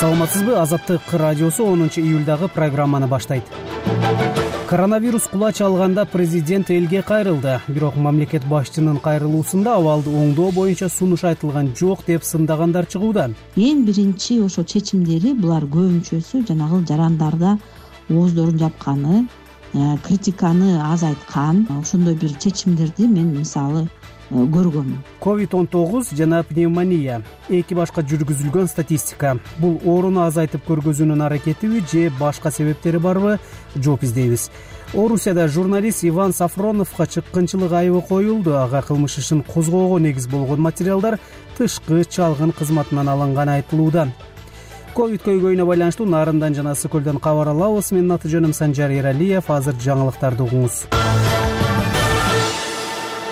Саламатсызбы? Азаттык радиосу 10-июлдагы программаны баштайт. Коронавирус кулач алганда президент элге кайрылды. Бирок мамлекет башчынын кайрылуусунда абалды оңдоо боюнча сунуш айтылган жок деп сындагандар чыгууда. Эң биринчи ошо чечимдери булар көбүнчөсү жанагы жарандарда ооздорун жапканы, критиканы азайткан ошондой бир чечимдерди мен мисалы көргөм. COVID-19 жана пневмония эки башка жүргүзүлгөн статистика. Бул ооруну азайтып көргөзүүнүн аракетиби же башка себептери барбы? Жооп издейбиз. Орусияда журналист Иван Сафроновго чыккынчылык айыбы коюлду. Ага кылмыш ишин козгоого негиз болгон материалдар тышкы чалгын кызматынан алынганы айтылууда. Ковид көйгөйүнө байланыштуу Нарындан жана Ысык көлдөн кабар алабыз. Менин аты жөнүм Санжар Эралиев. Азыр жаңылыктарды угуңуз.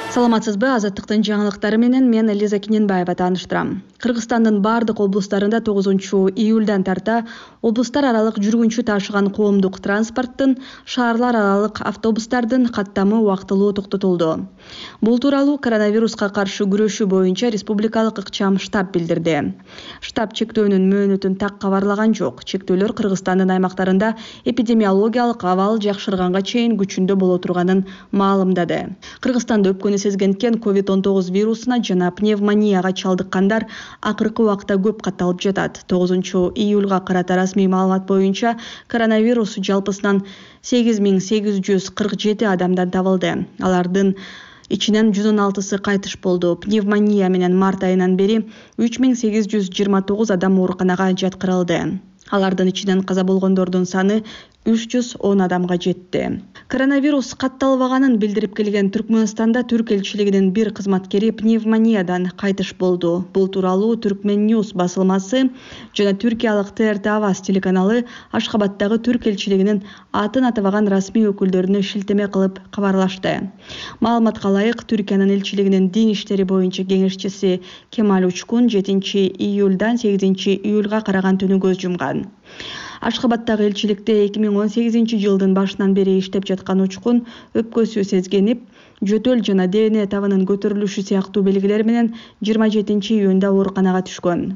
Саламатсызбы? Азаттыктын жаңылыктары менен мен Лиза Киненбаева тааныштырам. Кыргызстандын бардык облустарында 9-июлдан тарта облустар аралык жүргүнчү ташыган коомдук транспорттун, шаарлар аралык автобустардын каттамы убактылуу токтотулду. Бул тууралуу коронавируска каршы күрөшүү боюнча республикалык ыкчам штаб билдирди. Штаб чектөөнүн мөөнөтүн так кабарлаган жок. Чектөөлөр Кыргызстандын аймактарында эпидемиологиялык абал жакшырганга чейин күчүндө боло турганын маалымдады. Кыргызстанда өпкөнү сезгенткен COVID-19 вирусуна жана пневмонияга чалдыккандар акыркы убакта көп катталып жатат. 9-июлга карата расмий маалымат боюнча коронавирус жалпысынан 8847 адамдан табылды. Алардын ичинен 116сы кайтыш болду. Пневмония менен март айынан бери 3829 адам ооруканага жаткырылды. Алардын ичинен каза болгондордун саны 310 адамга жетти. Коронавирус катталбаганын билдирип келген Түркмөнстанда Түрк элчилигинин бир кызматкери пневмониядан кайтыш болду. Бул тууралуу Түркмен Ньюс басылмасы жана түркиялык ТРТ Аваз телеканалы Ашхабадтагы Түрк элчилигинин атын атабаган расмий өкүлдөрүнө шилтеме кылып кабарлашты. Маалыматка ылайык, Түркиянын элчилигинин дин иштери боюнча кеңешчиси Кемаль Учкун 7-июлдан 8-июлга караган түнү көз жумган. Ашхабадтагы элчиликте 2018-жылдын башынан бери иштеп жаткан Учкун өпкөсү сезгенип, жөтөл жана ДНК табынын көтөрүлүшү сыяктуу белгилер менен 27-июнда ооруканага түшкөн.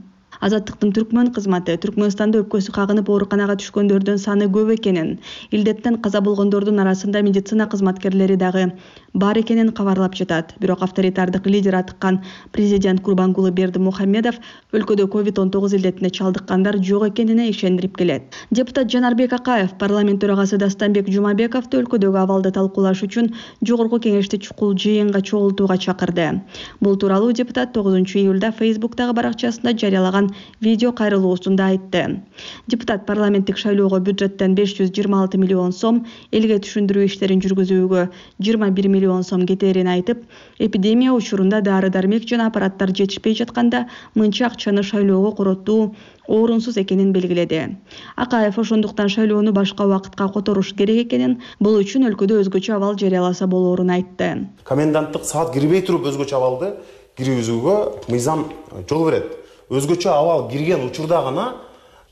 Азаттыктын Түркмөн кызматы Түркмөнстанда өпкөсү кагынып ооруканага түшкөндөрдүн саны көп экенин, илдеттен каза болгондордун арасында медицина кызматкерлери дагы бар экенин кабарлап жатат. Бирок авторитардык лидер атыккан президент Курбангулы Бердимухамедов өлкөдө COVID-19 илдетине чалдыккандар жок экенине ишендирип келет. Депутат Жанарбек Акаев парламент төрагасы Дастанбек Жумабековду өлкөдөгү абалды талкуулаш үчүн жогорку кеңешти чукул жыйынга чогултууга чакырды. Бул тууралуу депутат 9-июлда Facebook'тагы баракчасында жарыялаган видео кайрылуусунда айтты. Депутат парламенттик шайлоого бюджеттен 526 миллион сом, элге түшүндүрүү иштерин жүргүзүүгө 21 миллион сом кетерин айтып, эпидемия учурунда дары-дармек жана аппараттар жетишпей жатканда мынча акчаны шайлоого короттуу орунсуз экенин белгиледи. Акаев ошондуктан шайлоону башка убакытка которуш керек экенин, бул үчүн өлкөдө өзгөчө абал жарыяласа болоорун айтты. Коменданттык саат кирбей туруп өзгөчө абалды киргизүүгө мыйзам жол берет. Өзгөчө абал кирген учурда гана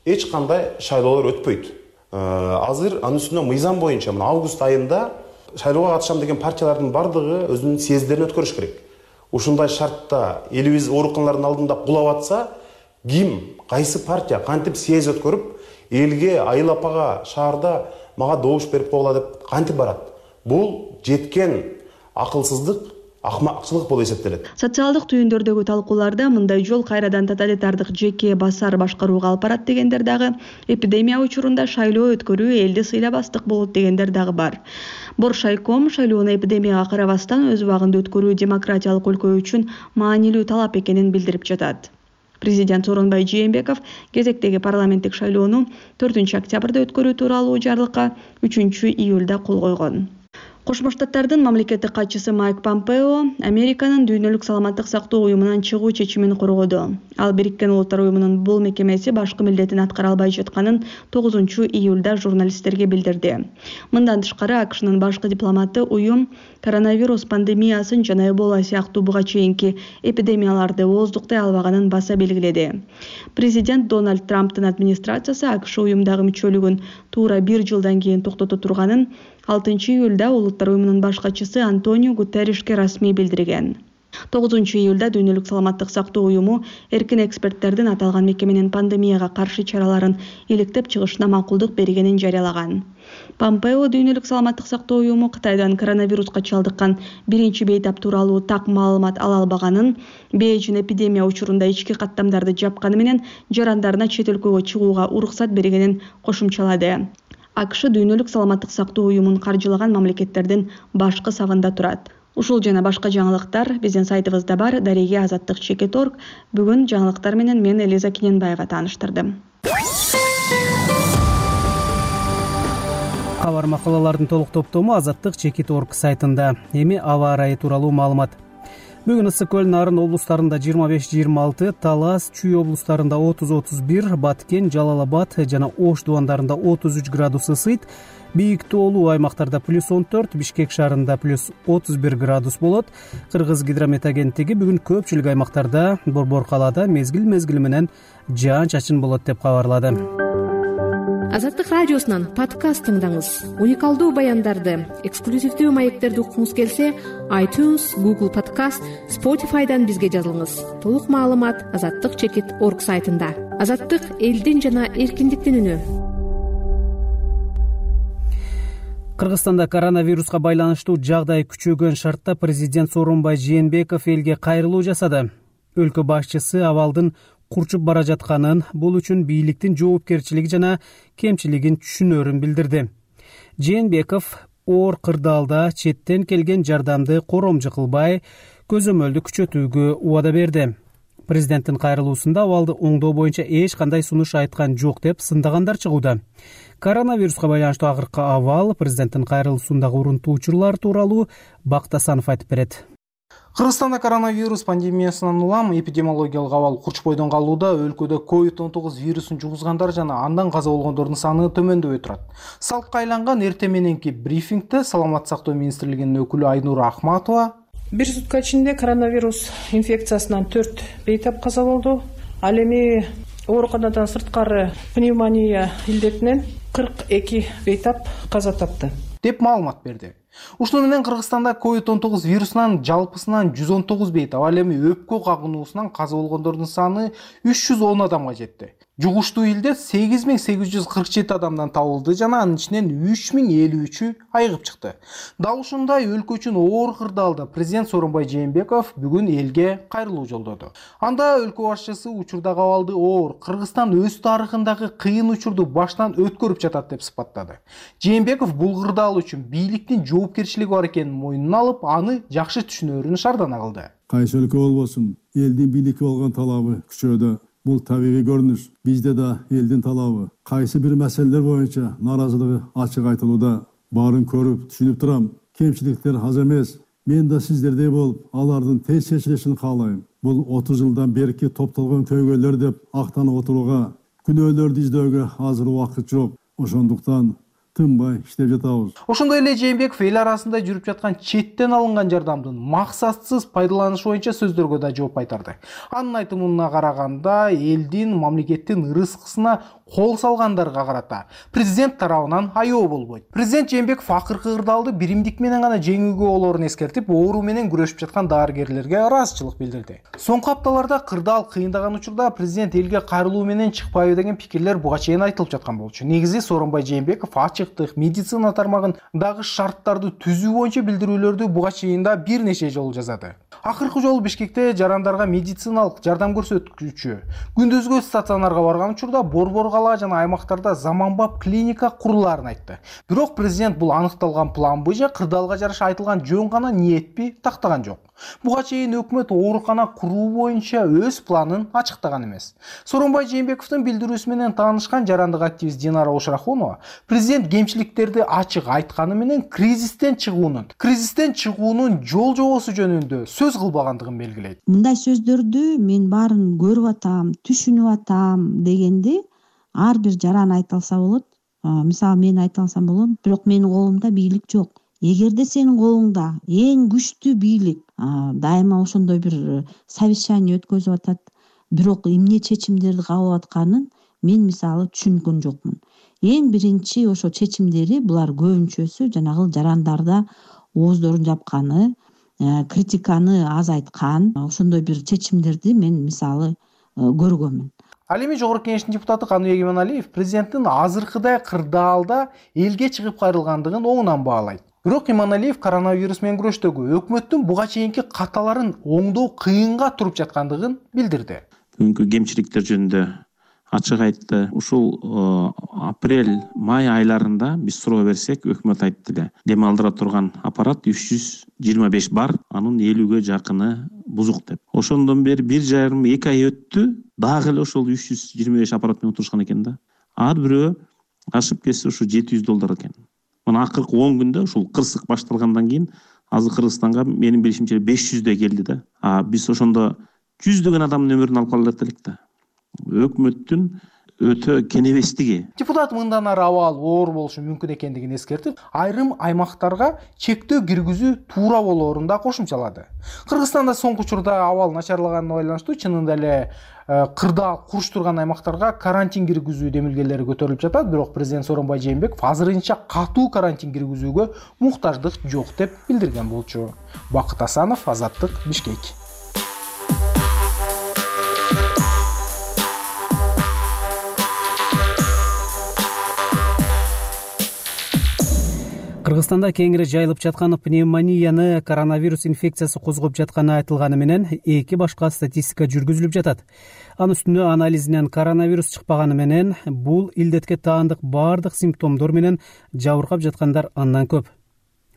эч кандай шайлоолор өтпөйт. Азыр анын үстүнө мыйзам боюнча август айында шайлоого катышам деген партиялардын бардыгы өзүнүн съезддерин өткөрүш керек. Ушундай шартта элибиз ооруканалардын алдында кулап атса, ким, кайсы партия кантип съезд өткөрүп, элге, айыл апага, шаарда мага добуш берип койгула деп кантип барат? Бул жеткен акылсыздык, акмакчылык болуп эсептелет. Социалдык түйүндөрдөгү талкууларда мындай жол кайрадан тоталитардык жеке басар башкарууга алып барат дегендер дагы, эпидемия учурунда шайлоо өткөрүү элди сыйлабастык болот дегендер дагы бар. Боршайком шайлоону эпидемияга карабастан өз убагында өткөрүү демократиялык өлкө үчүн маанилүү талап экенин билдирип жатат. Президент Сооронбай Жээнбеков кезектеги парламенттик шайлоону 4-октябрда өткөрүү тууралуу жарлыкка 3-июлда кол койгон. Кошмо Штаттардын мамлекеттик катчысы Майк Помпео Американын дүйнөлүк саламаттык сактоо уюмунан чыгуу чечимин коргоду. Ал Бириккен Улуттар уюмунун бул мекемеси башкы милдетин аткара албай жатканын 9-июлда журналисттерге билдирди. Мындан тышкары АКШнын башкы дипломаты уюм коронавирус пандемиясын жана Эбола сыяктуу буга чейинки эпидемияларды ооздуктай албаганын баса белгиледи. Президент Дональд Трамптын администрациясы АКШ уюмдагы мүчөлүгүн туура 1 жылдан кийин токтото турганын 6-июлда Улуттар уюмунун баш катчысы Антонио Гутерришке расмий билдирген. 9-июлда Дүйнөлүк саламаттык сактоо уюму эркин эксперттердин аталган мекеменин пандемияга каршы чараларын иликтеп чыгышына макулдук бергенин жарыялаган. Помпео Дүйнөлүк саламаттык сактоо уюму Кытайдан коронавируска чалдыккан биринчи бейтап тууралуу так маалымат ала албаганын, Бээжин эпидемия учурунда ички каттамдарды жапканы менен жарандарына чет өлкөгө чыгууга уруксат бергенин кошумчалады. АКШ Дүйнөлүк саламаттык сактоо уюмун каржылаган мамлекеттердин башкы сабында турат. Ушул жана башка жаңылыктар биздин сайтыбызда бар. Дареге Азаттык Чекит.org. Бүгүн жаңылыктар менен мен Элиза Кененбаева тааныштырдым. Кабар макалалардын толук топтому Азаттык Чекит.org сайтында. Эми аба ырайы тууралуу маалымат. Бүгүн ысык көл Нарын облустарында 25-26, Талас, Чүй облустарында 30-31, Баткен, Жалал Абад жана Ош дубандарында 33 градус ысыйт. Бийик тоолуу аймактарда +14, Бишкек шаарында +31 градус болот. Кыргыз гидромет агенттиги бүгүн көпчүлүк аймактарда борбор калаада мезгил менен жаан-чачын болот деп кабарлады. Азаттык радиосунан подкаст тыңдаңыз. Уникалдуу баяндарды, эксклюзивдүү маектерди уккуңуз келсе, iTunes, Google Podcast, Spotify'дан бизге жазылыңыз. Толук маалымат Азаттык Чекит.org сайтында. Азаттык элдин жана эркиндиктин үнү. Кыргызстанда коронавируска байланыштуу жагдай күчөгөн шартта президент Сооронбай Жээнбеков элге кайрылуу жасады. Өлкө башчысы абалдын курчуп бара жатканын, бул үчүн бийликтин жоопкерчилиги жана кемчилигин түшүнөрүн билдирди. Жээнбеков оор кырдаалда четтен келген жардамды коромжу кылбай, көзөмөлдү күчөтүүгө убада берди. Президенттин кайрылуусунда абалды оңдоо боюнча эч кандай сунуш айткан жок деп сындагандар чыгууда. Коронавируска байланыштуу акыркы абал президенттин кайрылуусундагы урунтуу учурлар тууралуу Бактасанов айтып берет. Кыргызстанда коронавирус пандемиясынан улам эпидемиологиялык абал курчпойдон калууда. Өлкөдө COVID-19 вирусун жугузгандар жана андан каза болгондордун саны төмөндөбөй турат. Салтка айланган эртең мененки брифингде Саламаттык сактоо министрлигинин өкүлү Айнура Ахматова бир сутка ичинде коронавирус инфекциясынан 4 бейтап каза болду. Ал эми ооруканадан сырткары пневмония илдетинен 42 бейтап каза тапты деп маалымат берди. Ушуну менен Кыргызстанда COVID-19 вирусунан жалпысынан 119 бейтап, ал эми өпкө кагынуусунан каза болгондордун саны 310 адамга жетти. Жугуштуу илдет 8847 адамдан табылды жана анын ичинен 3053-ü айыгып чыкты. Дал ушундай өлкө үчүн оор кырдаалда президент Сооронбай Жээнбеков бүгүн элге кайрылуу жолдоду. Анда өлкө башчысы учурдагы абалды оор, Кыргызстан өз тарыхындагы кыйын учурду баштан өткөрүп жатат деп сыпаттады. Жээнбеков бул кырдаал үчүн бийликтин жоопкерчилиги бар экенин мойнуна алып, аны жакшы түшүнөрүн шаардана кылды. Кайсы өлкө болбосун, элдин бийликке болгон талабы күчөдө. Бул табигый көрүнүш. Бизде да элдин талабы. Кайсы бир маселелер боюнча наразылыгы ачык айтылууда. Баарын көрүп, түшүнүп турам. Кемчиликтер аз эмес. Мен да сиздердей болуп, алардын тез чечилишин каалайм. Бул 30 жылдан берки топтолгон көйгөйлөр деп актанып отурууга, күнөөлөрдү издөөгө азыр убакыт жок. Ошондуктан тынбай иштеп жатабыз. Ошондой эле Жээнбеков эл арасында жүрүп жаткан четтен алынган жардамдын максатсыз пайдаланышы боюнча сөздөргө да жооп кайтарды. Анын айтымына караганда, элдин, мамлекеттин ырыскысына кол салгандарга карата президент тарабынан аябоо болбойт. Президент Жээнбеков акыркы кырдаалды биримдик менен гана жеңүүгө болоорун эскертип, оору менен күрөшүп жаткан дарыгерлерге ыраазычылык билдирди. Соңку апталарда кырдаал кыйындаган учурда президент элге кайрылуу менен чыкпайбы деген пикирлер буга чейин айтылып жаткан болчу. Негизи Сооронбай Жээнбеков ачыктык, медицина тармагын дагы шарттарды түзүү боюнча билдирүүлөрдү буга чейин да бир нече жолу жасады. Акыркы жолу Бишкекте жарандарга медициналык жардам көрсөткүчү күндүзгү стационарга барган учурда борбор жана аймактарда заманбап клиника курулаарын айтты. Бирок президент бул аныкталган планбы же кырдаалга жараша айтылган жөн гана ниетпи тактаган жок. Буга чейин өкмөт оорукана куруу боюнча өз планын ачыктаган эмес. Сооронбай Жээнбековдун билдирүүсү менен таанышкан жарандык активист Динара Ошрахунова президент кемчиликтерди ачык айтканы менен кризистен чыгуунун жол жобосу жөнүндө сөз кылбагандыгын белгилейт. Мындай сөздөрдү мен баарын көрүп атам, түшүнүп атам дегенди ар бир жаран айта алса болот. Мисалы мен айта алсам болот, бирок менин колумда бийлик жок. Эгерде сенин колуңда эң күчтүү бийлик дайыма ошондой бир совещание өткөзүп атат, бирок эмне чечимдерди кабыл атканын мен мисалы түшүнгөн жокмун. Эң биринчи ошо чечимдери булар көбүнчөсү жанагы жарандарда ооздорун жапканы, критиканы азайткан ошондой бир чечимдерди мен мисалы көргөнмүн. Ал эми Жогорку Кеңештин депутаты Каныбек Иманалиев президенттин азыркыдай кырдаалда элге чыгып кайрылгандыгын оңунан баалайт. Бирок Иманалиев коронавирус менен күрөштөгү өкмөттүн буга чейинки каталарын оңдоо кыйынга туруп жаткандыгын билдирди. Бүгүнкү кемчиликтер жөнүндө ачык айтты. Ушул апрель-май айларында биз суроо берсек, өкмөт айтты эле. Дем алдыра турган аппарат 325 бар, анын 50ге жакыны бузук деп. Ошондон бери 1,5-2 ай өттү, дагы эле ошол 325 аппарат менен отурушкан экен да. Ар бирөө ашып кетсе ушу $700 экен. Мына акыркы 10 күндө ушул кырсык башталгандан кийин азыр Кыргызстанга менин билишимче 500 келди да. Биз ошондо жүздөгөн адамдын өмүрүн алып кала элек да. Өкмөттүн өтө кенебестиги. Депутат мындан ары абал оор болушу мүмкүн экендигин эскертип, айрым аймактарга чектөө киргизүү туура болоорун да кошумчалады. Кыргызстанда соңку учурда абал начарлаганына байланыштуу чынында эле кырдаал куруштурган аймактарга карантин киргизүү демилгелери көтөрүлүп жатат, бирок президент Сооронбай Жээнбеков азырынча катуу карантин киргизүүгө муктаждык жок деп билдирген болчу. Бакыт Асанов, Азаттык, Бишкек. Кыргызстанда кеңири жайылып жаткан пневмонияны коронавирус инфекциясы козгоп жатканы айтылганы менен 2 башка статистика жүргүзүлүп жатат. Анын үстүнө анализинен коронавирус чыкпаганы менен бул илдетке таандык бардык симптомдор менен жабыркап жаткандар андан көп.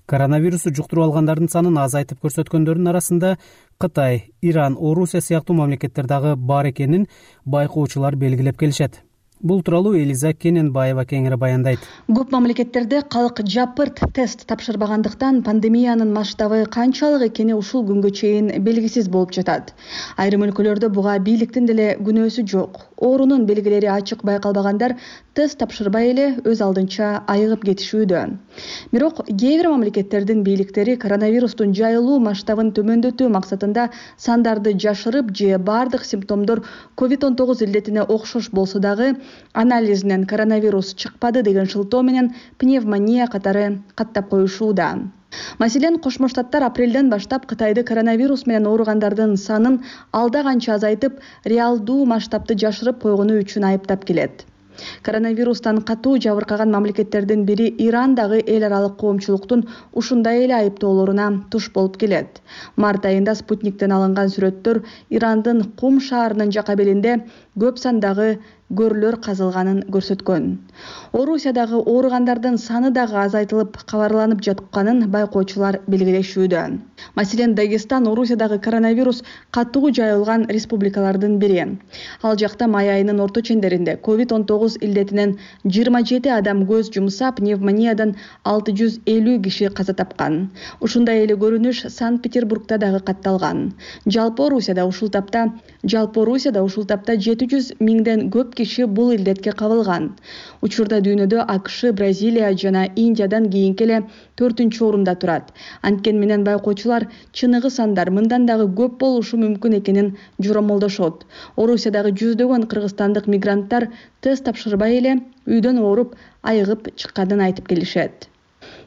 Коронавирусту жуктуруп алгандардын санын азайтып көрсөткөндөрдүн арасында Кытай, Иран, Орусия сыяктуу мамлекеттер дагы бар экенин байкоочулар белгилеп келишет. Бул тууралуу Элиза Кененбаева кеңири баяндайт. Көп мамлекеттерде калк жапырт тест тапшырбагандыктан пандемиянын масштабы канчалык экени ушул күнгө чейин белгисиз болуп жатат. Айрым өлкөлөрдө буга бийликтин деле күнөөсү жок. Оорунун белгилери ачык байкалбагандар тест тапшырбай эле өз алдынча айыгып кетишүүдө. Бирок кээ бир мамлекеттердин бийликтери коронавирустун жайылуу масштабын төмөндөтүү максатында сандарды жашырып же бардык симптомдор COVID-19 илдетине окшош болсо дагы анализинен коронавирус чыкпады деген шылтоо менен пневмония катары каттап коюшууда. Маселен, Кошмо Штаттар апрелден баштап Кытайды коронавирус менен ооругандардын санын алда канча азайтып, реалдуу масштабты жашырып койгону үчүн айыптап келет. Коронавирустан катуу жабыркаган мамлекеттердин бири Иран дагы эл аралык коомчулуктун ушундай эле айыптоолоруна туш болуп келет. Март айында Спутниктен алынган сүрөттөр Ирандын Кум шаарынын жакабелинде көп сандагы көрлөр казылганын көрсөткөн. Орусиядагы ооругандардын саны дагы азайтылып кабарланып жатканын байкоочулар белгилешүүдө. Маселен, Дагестан Орусиядагы коронавирус катуу жайылган республикалардын бири. Ал жакта май айынын орто чендеринде COVID-19 илдетинен 27 адам көз жумса, пневмониядан 650 киши каза тапкан. Ушундай эле көрүнүш Санкт-Петербургда дагы катталган. Жалпы Орусияда ушул тапта 700 миңден көп киши бул илдетке кабылган. Учурда дүйнөдө АКШ, Бразилия жана Индиядан кийинки эле 4-орунда турат. Анткени менен байкоочулар чыныгы сандар мындан дагы көп болушу мүмкүн экенин жоромолдошот. Орусиядагы жүздөгөн кыргызстандык мигранттар тест тапшырбай эле үйдөн ооруп айыгып чыкканын айтып келишет.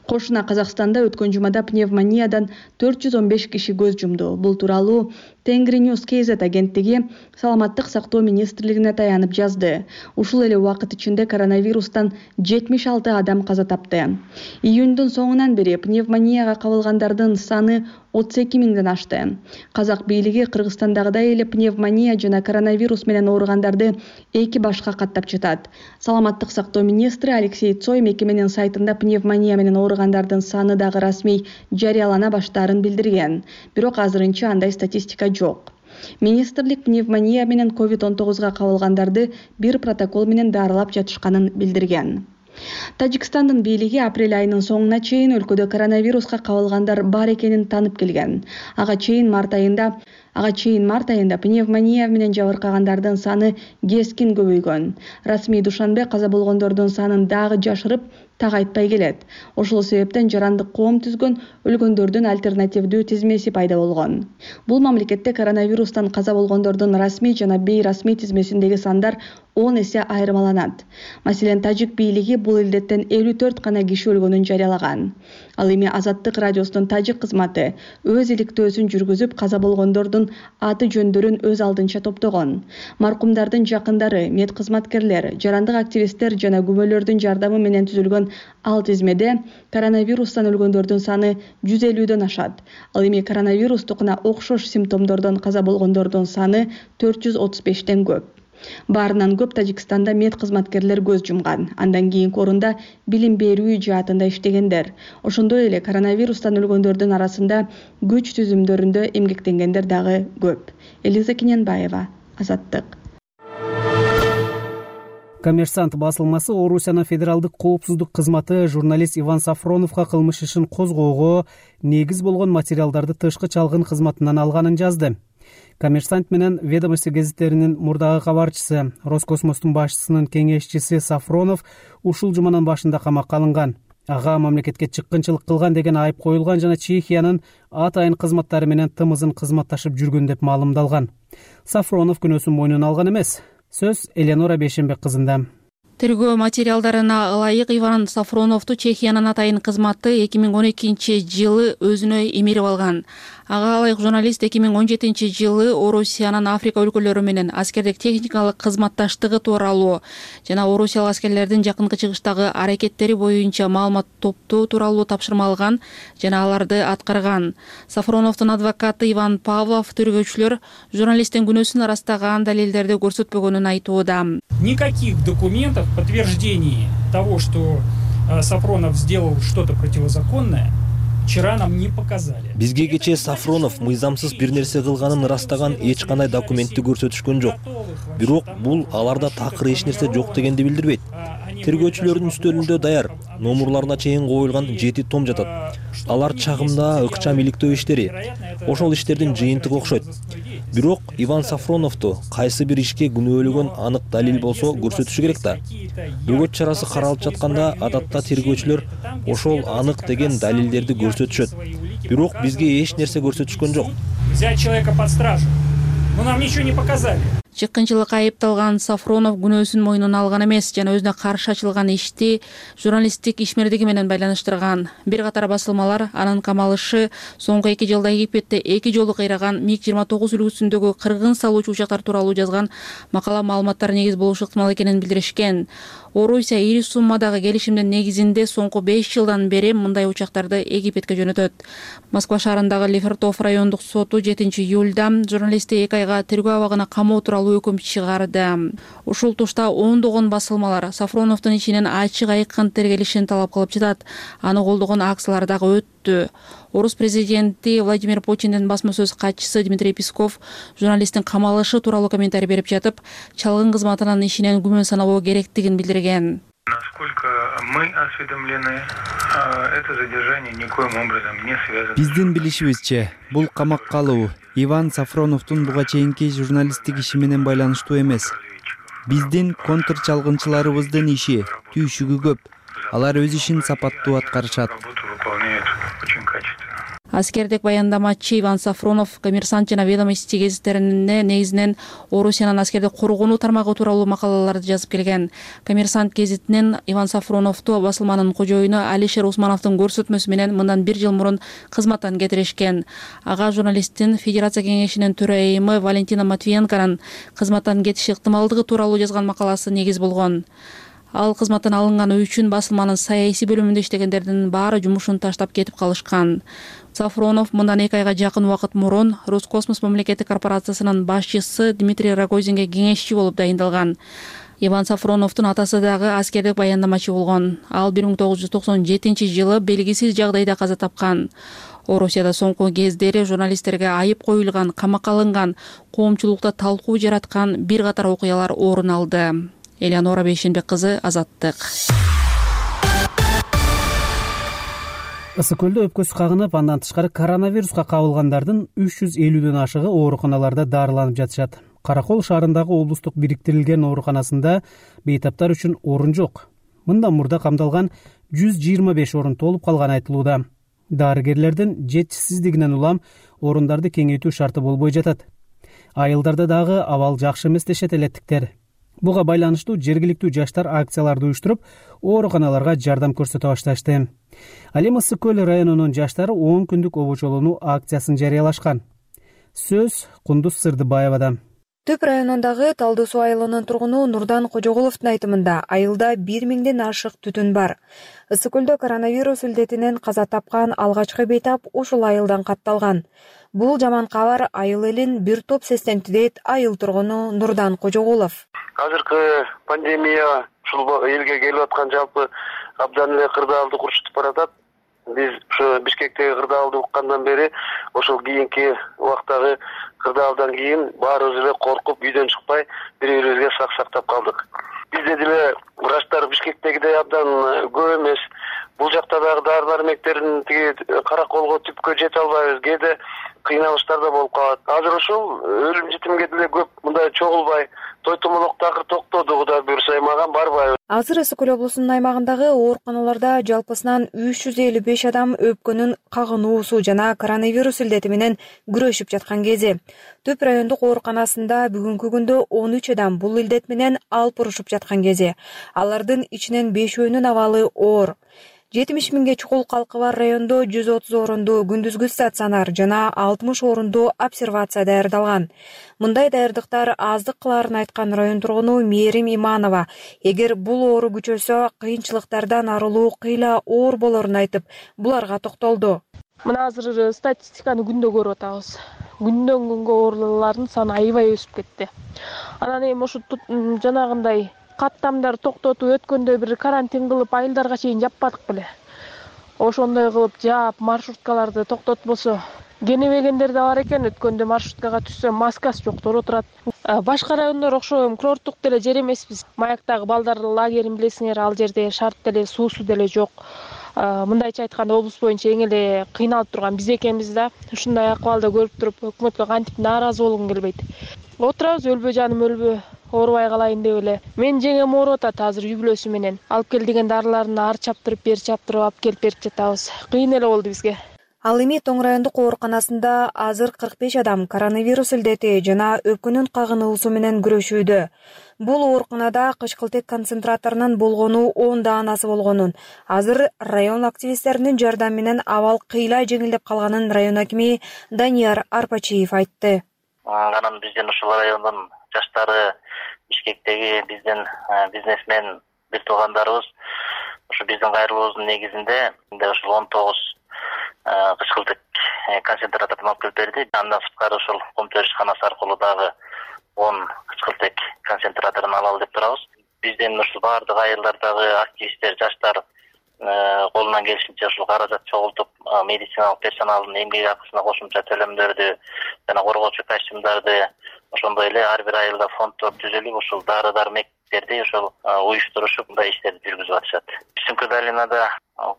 Кошуна Казакстанда өткөн жумада пневмониядан 415 киши көз жумду. Бул тууралуу Тенгриньюз KZ агенттиги Саламаттык сактоо министрлигине таянып жазды. Ушул эле убакыт ичинде коронавирустан 76 адам каза тапты. Июндун соңунан бери пневмонияга кабылгандардын саны 32 миңден ашты. Казак бийлиги Кыргызстандагыдай эле пневмония жана коронавирус менен ооругандарды 2 башка каттап жатат. Саламаттык сактоо министри Алексей Цой мекеменин сайтында пневмония менен ооругандардын саны дагы расмий жарыялана баштаарын билдирген. Бирок азырынча андай статистика жок. Министрлик пневмония менен COVID-19 кабылгандарды бир протокол менен дарылап жатышканын билдирген. Тажикстандын бийлиги апрель айынын соңуна чейин өлкөдө коронавируска кабылгандар бар экенин танып келген. Ага чейин март айында пневмония менен жабыркагандардын саны кескин көбөйгөн. Расмий Душанбе каза болгондордун санын дагы жашырып так айтпай келет. Ошол себептен жарандык коом түзгөн өлгөндөрдүн альтернативдүү тизмеси пайда болгон. Бул мамлекетте коронавирустан каза болгондордун расмий жана бейрасмий тизмесиндеги сандар 10 эсе айырмаланат. Маселен, тажик бийлиги бул илдеттен 54 гана киши өлгөнүн жарыялаган. Ал эми Азаттык радиосунун тажик кызматы өз иликтөөсүн жүргүзүп, каза болгондордун аты жөндөрүн өз алдынча топтогон. Маркумдардын жакындары, мед кызматкерлер, жарандык активисттер жана күбөлөрдүн жардамы менен түзүлгөн ал тизмеде коронавирустан өлгөндөрдүн саны 150дөн ашат. Ал эми коронавирустукуна окшош симптомдордон каза болгондордун саны 435тен көп. Баарынан көп Тажикстанда мед кызматкерлер көз жумган. Андан кийинки орунда билим берүү жаатында иштегендер. Ошондой эле коронавирустан өлгөндөрдүн арасында күч түзүмдөрүндө эмгектенгендер дагы көп. Элиза Кененбаева, Азаттык. Коммерсант басылмасы Орусиянын федералдык коопсуздук кызматы журналист Иван Сафроновго кылмыш ишин козгоого негиз болгон материалдарды тышкы чалгын кызматынан алганын жазды. Коммерсант менен Ведомости гезиттеринин мурдагы кабарчысы, Роскосмостун башчысынын кеңешчиси Сафронов ушул жуманын башында камакка алынган. Ага мамлекетке чыккынчылык кылган деген айып коюлган жана Чехиянын атайын кызматтары менен тымызын кызматташып жүргөн деп маалымдалган. Сафронов күнөөсүн мойнуна алган эмес. Сөз Элеонора Бейшенбек кызында. Тергөө материалдарына ылайык Иван Сафроновду Чехиянын атайын кызматы 2012-жылы өзүнө эмирип алган. Ага ылайык журналист 2017-жылы Орусиянын Африка өлкөлөрү менен аскердик техникалык кызматташтыгы тууралуу жана орусиялык аскерлердин жакынкы чыгыштагы аракеттери боюнча маалымат топтоо тууралуу тапшырма алган жана аларды аткарган. Сафроновдун адвокаты Иван Павлов тергөөчүлөр журналисттин күнөөсүн арастаган далилдерди көрсөтпөгөнүн айтууда. Никаких документов в подтверждении того, что Сафронов сделал что-то противозаконное, вчера нам не показали. Бизге кечээ Сафронов мыйзамсыз бир нерсе кылганын ырастаган эч кандай документти көрсөтүшкөн жок. Бирок бул аларда такыр эч нерсе жок дегенди билдирбейт. Тергөөчүлөрдүн үстөлүндө даяр, номурларына чейин коюлган 7 том жатат. Алар чагымда ыкчам иликтөө иштери. Ошол иштердин жыйынтыгы окшойт. Бирок Иван Сафроновду кайсы бир ишке күнөөлөгөн анык далил болсо көрсөтүшү керек да. Бөгөт чарасы каралып жатканда адатта тергөөчүлөр ошол анык деген далилдерди көрсөтүшөт. Бирок бизге эч нерсе көрсөтүшкөн жок. Взять человека под стражу. Но нам ничего не показали. Чыккынчылыкка айыпталган Сафронов күнөөсүн мойнуна алган эмес жана өзүнө каршы ачылган ишти журналисттик ишмердиги менен байланыштырган. Бир катар басылмалар анын камалышы соңку 2 жылда Египетте 2 жолу кыйраган МиГ-29 үлгүсүндөгү кыргын салуучу учактар тууралуу жазган макала маалыматтар негиз болушу ыктымал экенин билдиришкен. Орусия ири суммадагы келишимдин негизинде соңку 5 жылдан бери мындай учактарды Египетке жөнөтөт. Москва шаарындагы Лефортов райондук соту 7-июлда журналистти 2 айга тергөө абагына камоо тууралуу өкүм чыгарды. Ушул тушта ондогон басылмалар Сафроновдун ичинен ачык айкын тергелишин талап кылып жатат. Аны колдогон акциялар дагы өттү. Орус президенти Владимир Путиндин басма сөз катчысы Дмитрий Песков журналисттин камалышы тууралуу комментарий берип жатып, чалгын кызматынын ишинен күмөн санабоо керектигин билдирген. Насколько мы осведомлены, это задержание никоим образом не связано. Биздин билишибизче, бул камакка алуу Иван Сафроновдун буга чейинки журналисттик иши менен байланыштуу эмес. Биздин контрчалгынчыларыбыздын иши түйшүгү көп. Алар өз ишин сапаттуу аткарышат. Аскердик баяндамачы Иван Сафронов Коммерсант жана Ведомости гезиттерине негизинен Орусиянын аскердик коргонуу тармагы тууралуу макалаларды жазып келген. Коммерсант гезитинен Иван Сафроновду басылманын кожоюну Алишер Усмановдун көрсөтмөсү менен мындан 1 жыл мурун кызматтан кетиришкен. Ага журналисттин Федерация кеңешинин төрайымы Валентина Матвиенконун кызматтан кетиши ыктымалдыгы тууралуу жазган макаласы негиз болгон. Ал кызматтан алынганы үчүн басылманын саясий бөлүмүндө иштегендердин баары жумушун таштап кетип калышкан. Сафронов мындан 2 айга жакын убакыт мурун Роскосмос мамлекеттик корпорациясынын башчысы Дмитрий Рогозинге кеңешчи болуп дайындалган. Иван Сафроновдун атасы дагы аскердик баяндамачы болгон. Ал 1997-жылы белгисиз жагдайда каза тапкан. Орусияда соңку кездери журналисттерге айып коюлган, камакка алынган, коомчулукта талкуу жараткан бир катар окуялар орун алды. Элеонора Бейшенбек кызы, Азаттык. Ысык көлдө өпкөсү кагынып, андан тышкары коронавируска кабылгандардын 350дөн ашыгы ооруканаларда дарыланып жатышат. Каракол шаарындагы облустук бириктирилген ооруканасында бейтаптар үчүн орун жок. Мындан мурда камдалган 125 орун толуп калганы айтылууда. Дарыгерлердин жетишсиздигинен улам орундарды кеңейтүү шарты болбой жатат. Айылдарда дагы абал жакшы эмес дешет элеттиктер. Буга байланыштуу жергиликтүү жаштар акцияларды уюштуруп, ооруканаларга жардам көрсөтө башташты. Ал эми Ысык көл районунун жаштары 10 күндүк обочолонуу акциясын жарыялашкан. Сөз Кундуз Сырдыбаевада. Төп районундагы Талдуу суу айылынын тургуну Нурдан Кожоголовдун айтымында айылда 1000ден ашык түтүн бар. Ысык көлдө коронавирус илдетинен каза тапкан алгачкы бейтап ушул айылдан катталган. Бул жаман кабар айыл элин бир топ сестентти дейт айыл тургуну Нурдан Кожоголов. Азыркы пандемия ушул элге келип аткан жалпы абдан эле кырдаалды курчутуп баратат. Биз ушу Бишкектеги кырдаалды уккандан бери ошол кийинки убактагы кырдаалдан кийин баарыбыз эле коркуп үйдөн чыкпай бири-бирибизге сак сактап калдык. Бизде деле врачтар Бишкектегидей абдан көп эмес. Бул жакта дагы дары-дармектердин тиги караколго түпкө жете албайбыз. Кээде кыйналыштар да болуп калат. Азыр ушул өлүм житимге деле көп мындай чогулбай той томолок такыр токтоду, Кудай буйрса аймаган барбайбыз. Азыр Ысык көл облусунун аймагындагы ооруканаларда жалпысынан 355 адам өпкөнүн кагынуусу жана коронавирус илдети менен күрөшүп жаткан кези. Төп райондук ооруканасында бүгүнкү күндө 13 адам бул илдет менен алпурушуп жаткан кези. Алардын ичинен 5-өөнүн абалы оор. 70 миңге чукул калкы бар райондо 130 орунду күндүзгү стационар жана 60 орунду обсервация даярдалган. Мындай даярдыктар аздык кыларын айткан район тургуну Мээрим Иманова, эгер бул оору күчөсө кыйынчылыктардан арылуу кыйла оор болорун айтып, буларга токтолду. Мына азыр статистиканы күндө көрүп атабыз. Күндөн күнгө оорулуулардын саны аябай өсүп кетти. Анан эми ушу жанагындай каттамдар токтотуп өткөндө бир карантин кылып айылдарга чейин жаппадык беле. Ошондой кылып жаап маршруткаларды токтотпосо кенебегендер да бар экен. Өткөндө маршруткага түшсө маскасы жоктор отурат. Башка райондор окшойм курорттук деле жер эмеспиз. Маяктагы балдар лагерин билесиңер, ал жерде шарт деле суусу деле жок. Мындайча айтканда облус боюнча эң эле кыйналып турган биз экенбиз да. Ушундай акыбалды көрүп туруп өкмөткө кантип нааразы болгум келбейт. Отурабыз, өлбө жаным өлбө, оорубай калайын деп эле. Мен жеңем ооруп атат азыр үй бүлөсү менен. Алып кел деген дарыларын ар чаптырып, бер чаптырып алып келип берип жатабыз. Кыйын эле болду бизге. Ал эми Тоң райондук ооруканасында азыр 45 адам коронавирус илдети жана өпкөнүн кагынуусу менен күрөшүүдө. Бул ооруканада кычкылтек концентраторунун болгону 10 асы болгонун, азыр район активисттеринин жардамы менен абал кыйла жеңилдеп калганын район акими Данияр Арпачиев айтты. Анан биздин ушул райондун жаштары, Бишкектеги биздин бизнесмен бир туугандарыбыз ушу биздин кайрылуубуздун негизинде ушул 19 кычкылтек концентраторун алып келип берди. Андан сырткары ушул кум төрүшканасы аркылуу дагы 10 кычкылтек концентраторун алалы деп турабыз. Биздин ушул баардык айылдардагы активисттер, жаштар колунан келишинче ушул каражат чогултуп, медициналык персоналдын эмгек акысына кошумча төлөмдөрдү жана коргоочу костюмдарды, ошондой эле ар бир айылда фонддор түзүлүп, ушул дары-дармектерди ушул уюштурушуп мындай иштерди жүргүзүп атышат. Сумка долинада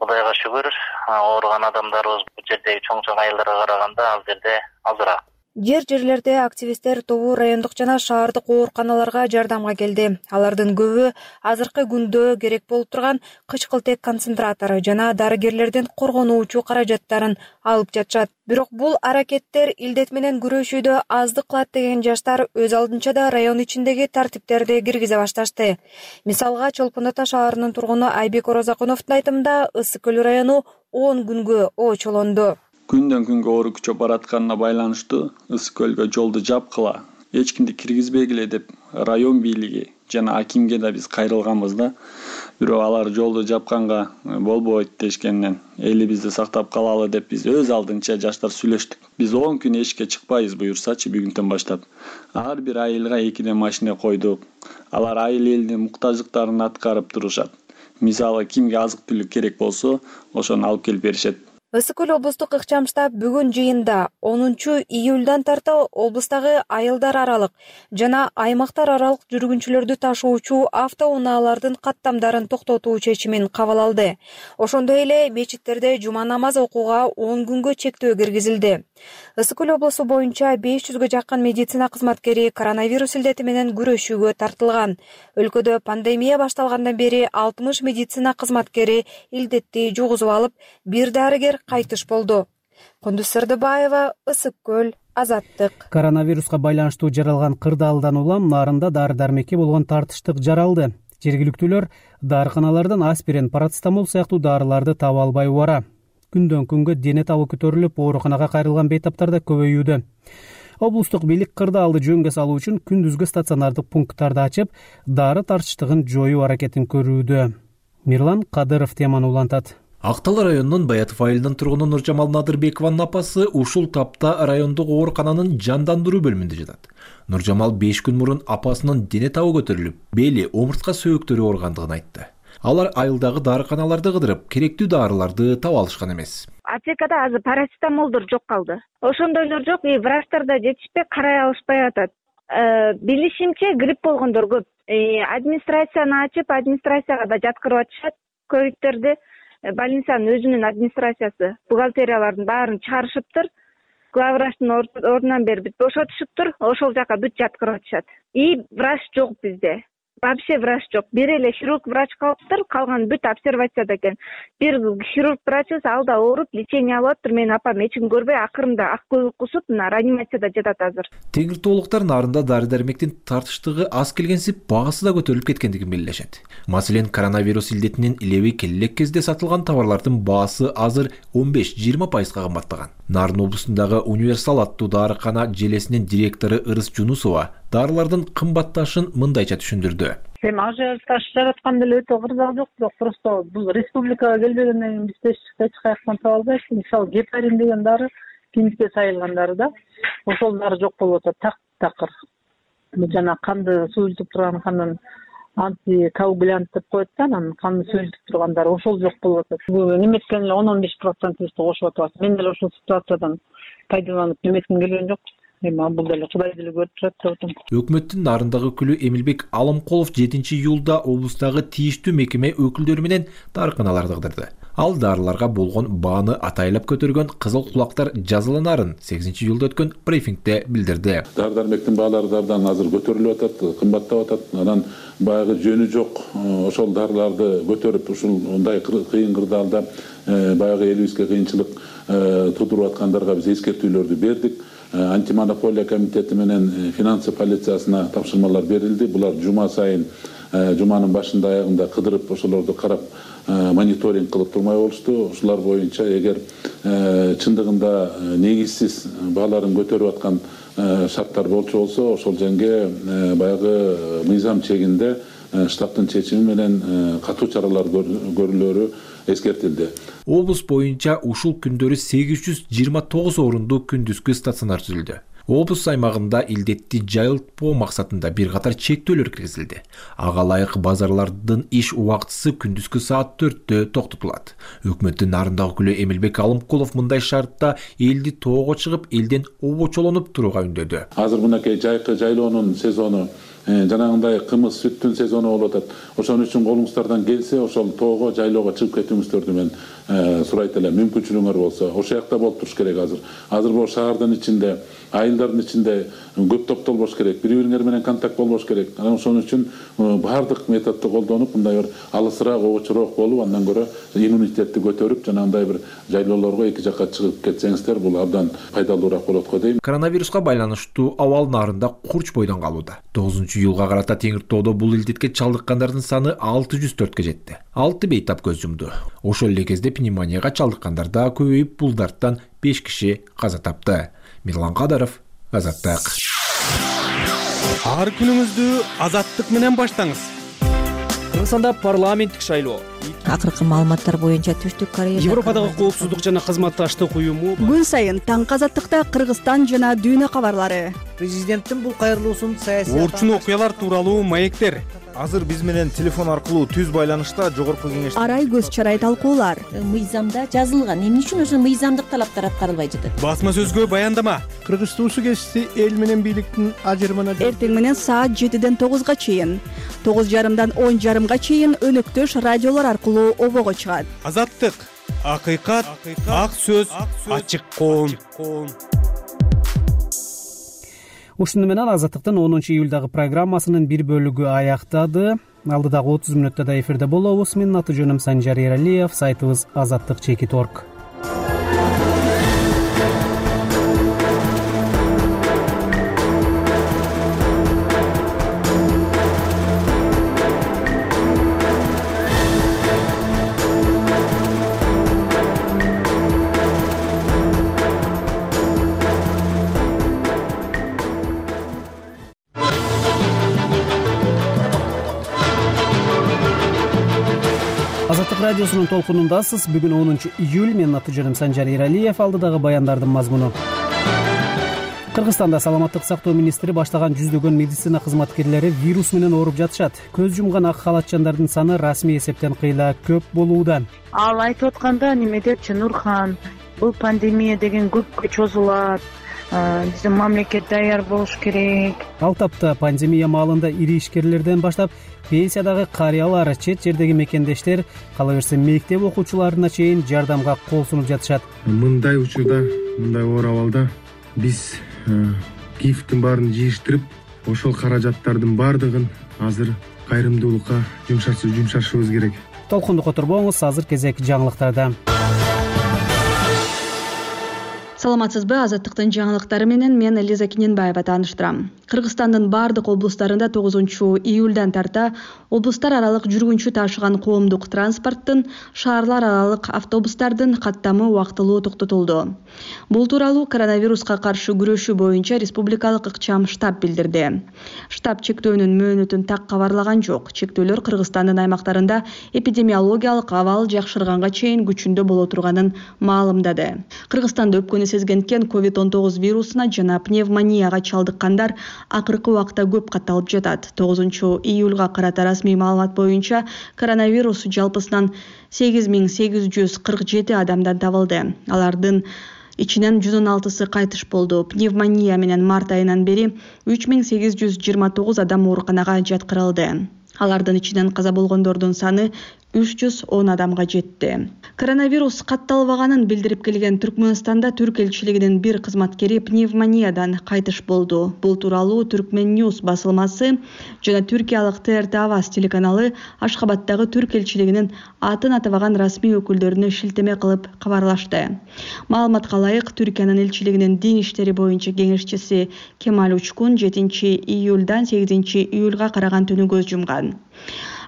Кудайга шүгүр, ооруган адамдарыбыз бул жердеги чоң айылдарга караганда ал жерде азыраак. Жерлерде активисттер тобу райондук жана шаардык ооруканаларга жардамга келди. Алардын көбү азыркы күндө керек болуп турган кычкылтек концентратору жана дарыгерлердин коргонуучу каражаттарын алып жатышат. Бирок бул аракеттер илдет менен күрөшүүдө аздык кылат деген жаштар өз алдынча да район ичиндеги тартиптерди киргизе башташты. Мисалга Чолпон Ата шаарынын тургуну Айбек Орозакуновдун айтымында Ысык көл району 10 күнгө очолонду. Күндөн күнгө оору күчөп баратканына байланыштуу Ысык көлгө жолду жапкыла, эч кимди киргизбегиле деп район бийлиги жана акимге да биз кайрылганбыз да. Бирок алар жолду жапканга болбойт дешкенден элибизди сактап калалы деп биз өз алдынча жаштар сүйлөштүк. Биз 10 күн эшикке чыкпайбыз буюрсачы бүгүнтөн баштап. Ар бир айылга 2 машина койдук. Алар айыл элдин муктаждыктарын аткарып турушат. Мисалы кимге азык түлүк керек болсо, ошону алып келип беришет. Ысык көл облустук ыкчам штаб бүгүн жыйында 10 июлдан тарта облустагы айылдар аралык жана аймактар аралык жүргүнчүлөрдү ташуучу автоунаалардын каттамдарын токтотуу чечимин кабыл алды. Ошондой эле мечиттерде жума намаз окууга 10 күнгө чектөө киргизилди. Ысык көл облусу боюнча 500гө жакын медицина кызматкери коронавирус илдети менен күрөшүүгө тартылган. Өлкөдө пандемия башталгандан бери 60 медицина кызматкери илдетти жугузуп алып, бир дарыгер кайтыш болду. Кундуз Сырдыбаева, Ысык көл, Азаттык. Коронавируска байланыштуу жаралган кырдаалдан улам нарында дары дармекке болгон тартыштык жаралды. Жергиликтүүлөр дарыканалардан аспирин, парацетамол сыяктуу дарыларды таба албай убара. Күндөн күнгө дене табы көтөрүлүп, ооруканага кайрылган бейтаптар да көбөйүүдө. Облустук бийлик кырдаалды жөнгө салуу үчүн күндүзгү стационардык пункттарды ачып, дары тартыштыгын жоюу аракетин көрүүдө. Мирлан Кадыров теманы улантат. Ак Тал районунун Баятов айылынын тургуну Нуржамал Надырбекованын апасы ушул тапта райондук оорукананын жандандыруу бөлүмүндө жатат. Нуржамал 5 күн мурун апасынын дене табы көтөрүлүп, бели, омуртка сөөктөрү ооругандыгын айтты. Алар айылдагы дарыканаларды кыдырып, керектүү дарыларды таба алышкан эмес. Аптекада азыр парацетамолдор жок калды. Ошондойлор жок, врачтар да жетишпей, карай алышпай атат. Билишимче грипп болгондор көп. Администрацияны ачып, администрацияга да жаткырып атышат ковидтерди. Больницанын өзүнүн администрациясы бухгалтериялардын баарын чыгарышыптыр. Главврачтын ордунан бери бүт бошотушуптур. Ошол жака бүт жаткырып атышат. И врач жок бизде. Вообще врач жок. Бир эле хирург врач калыптыр, калган бүт обсервацияда экен. Бир хирург врачыбыз алда ооруп, лечение алып атыптыр. Менин апам эч ким көрбөй, акырында ак көбүк кусуп, мына реанимацияда жатат азыр. Теңиртоолуктар нарында дары-дармектин тартыштыгы аз келгенсип, багысы да көтөрүлүп кеткендигин белгилешет. Маселен, коронавирус илдетинин илеби келе элек кезде сатылган товарлардын баасы азыр 15-20% кымбаттаган. Нарын облусундагы Универсал аттуу дарыкана желесинин директору Ырыс Жунусова дарылардын кымбатташын мындайча түшүндүрдү. Эми ажиотаж жараткан деле өтө кырдаал жок, бирок просто бул республикага келбегенден кийин бизде эч каяктан таба албайбыз. Мисалы, гепарин деген дары клиникке сайылган дары да, ошол дары жок болуп атат, такыр. Жана канды суюлтуп турган канын антикоагулянт деп коет да, анан канды суюлтуп турган дары ошол жок болуп атат. Бул неметкен эле 10-15% кошуп атабыз. Мен деле ошол ситуациядан пайдаланып неметким келген жок. Бул деле Кудай деле көрүп турат деп атам. Өкмөттүн нарындагы өкүлү Эмилбек Алымкулов 7-июлда облустагы тийиштүү мекеме өкүлдөрү менен дарыканаларды кыдырды. Ал дарыларга болгон бааны атайлап көтөргөн кызыл кулактар жазаланарын 8-июлда өткөн брифингде билдирди. Дары-дармектин баалары абдан азыр көтөрүлүп атат, кымбаттап атат. Анан баягы жөнү жок ошол дарыларды көтөрүп ушундай кыйын кырдаалда баягы элибизге кыйынчылык туудуруп аткандарга биз эскертүүлөрдү бердик. Антимонополия комитети менен финансы полициясына тапшырмалар берилди. Булар жума сайын, жуманын башында аягында кыдырып, ошолорду карап, мониторинг кылып турмай болушту. Ушулар боюнча эгер чындыгында негизсиз бааларын көтөрүп аткан шарттар болчу болсо, ошол жерге баягы мыйзам чегинде штабтын чечими менен катуу чаралар көрүлөрү эскертилди. Облус боюнча ушул күндөрү 829 орундуу күндүзгү стационар түзүлдү. Облус аймагында илдетти жайылтпоо максатында бир катар чектөөлөр киргизилди. Ага ылайык базарлардын иш убактысы күндүзгү саат 4-тө токтотулат. Өкмөттүн нарындагы өкүлү Эмилбек Алымкулов мындай шартта элди тоого чыгып, элден обочолонуп турууга үндөдү. Азыр мынакей жайкы жайлоонун сезону, жанагындай кымыз сүттүн сезону болуп атат. Ошон үчүн колуңуздардан келсе, ошол тоого, жайлоого чыгып кетүүңүздөрдү мен сурайт элем. Мүмкүнчүлүгүңөр болсо, ошол жакта болуп туруш керек азыр. Азыр бул шаардын ичинде, айылдардын ичинде көп топтолбош керек, бири-бириңер менен контакт болбош керек. Анан ошон үчүн баардык методду колдонуп, мындай бир алысыраак, обочураак болуп, андан көрө иммунитетти көтөрүп, жанагындай бир жайлоолорго эки жакка чыгып кетсеңиздер, бул абдан пайдалуураак болот го дейм. Коронавируска байланыштуу абал нарында курч бойдон калууда. 9-июлга карата Теңиртоодо бул илдетке чалдыккандардын саны 604-кө жетти. 6 бейтап көз жумду. Ошол эле кезде пневмонияга чалдыккандар да көбөйүп, бул дарттан 5 киши каза тапты. Мирлан Кадыров, Азаттык. Ар күнүңүздү Азаттык менен баштаңыз. Кыргызстанда парламенттик шайлоо. Акыркы маалыматтар боюнча Түштүк Корея, Европадагы коопсуздук жана кызматташтык уюму күн сайын таңкы Азаттыкта Кыргызстан жана дүйнө кабарлары. Президенттин бул кайрылуусун саясий орчун окуялар тууралуу маектер. Азыр биз менен телефон аркылуу түз байланышта жогорку кеңеш арай көз чарай талкуулар. Мыйзамда жазылган, эмне үчүн ошо мыйзамдык талаптар аткарылбай жатат? Басма сөзгө баяндама. Кыргыз туусу кесиси эл менен бийликтин ажырымына Эртең менен саат 7-ден 9-га чейин, 9:30-дан 10:30-га чейин өнөктөш радиолор аркылуу обого чыгат. Азаттык, акыйкат, ак сөз, ачык коом. Ушуну менен Азаттыктын 10-июлдагы программасынын бир бөлүгү аяктады. Алдыдагы 30 мүнөттө да эфирде болобуз. Менин аты жөнүм Санжар Эралиев, сайтыбыз azattik.org. Азаттык радиосунун толкунундасыз. Бүгүн 10 июль. Менин аты жөнүм Санжар Иралиев. Алдыдагы баяндардын мазмуну. Кыргызстанда саламаттык сактоо министри баштаган жүздөгөн медицина кызматкерлери вирус менен ооруп жатышат. Көз жумган ак халатчандардын саны расмий эсептен кыйла көп болууда. Ал айтып атканда неме депчи Нурхан, бул пандемия деген көпкө чозулат. Биздин мамлекет даяр болуш керек. Ал тапта пандемия маалында ири ишкерлерден баштап пенсиядагы карыялар, чет жердеги мекендештер, кала берсе мектеп окуучуларына чейин жардамга кол сунуп жатышат. Мындай учурда, мындай оор абалда биз кифтин баарын жыйыштырып, ошол каражаттардын баардыгын азыр кайрымдуулукка жумшашыбыз керек. Толкунду которбоңуз, азыр кезек жаңылыктарда. Саламатсызбы? Азаттыктын жаңылыктары менен мен Лиза Кененбаева тааныштырам. Кыргызстандын бардык облустарында 9 июлдан тарта облустар аралык жүргүнчү ташыган коомдук транспорттун, шаарлар аралык автобустардын каттамы убактылуу токтотулду. Бул тууралуу коронавируска каршы күрөшүү боюнча республикалык ыкчам штаб билдирди. Штаб чектөөнүн мөөнөтүн так кабарлаган жок. Чектөөлөр Кыргызстандын аймактарында эпидемиологиялык абал жакшырганга чейин күчүндө боло турганын маалымдады. Кыргызстанда өпкөнү сезгенткен COVID-19 вирусуна жана пневмонияга чалдыккандар акыркы убакта көп катталып жатат. 9 июлга карата расмий маалымат боюнча коронавирус жалпысынан 8847 адамдан табылды. Алардын ичинен 116сы кайтыш болду. Пневмония менен март айынан бери 3829 адам ооруканага жаткырылды. Алардын ичинен каза болгондордун саны 310 адамга жетти. Коронавирус катталбаганын билдирип келген Түркмөнстанда түрк элчилигинин бир кызматкери пневмониядан кайтыш болду. Бул тууралуу Түркмен Ньюс басылмасы жана түркиялык ТРТ Аваз телеканалы Ашхабадтагы түрк элчилигинин атын атабаган расмий өкүлдөрүнө шилтеме кылып кабарлашты. Маалыматка ылайык, Түркиянын элчилигинин дин иштери боюнча кеңешчиси Кемаль Учкун 7 июлдан 8 июлга караган түнү көз жумган.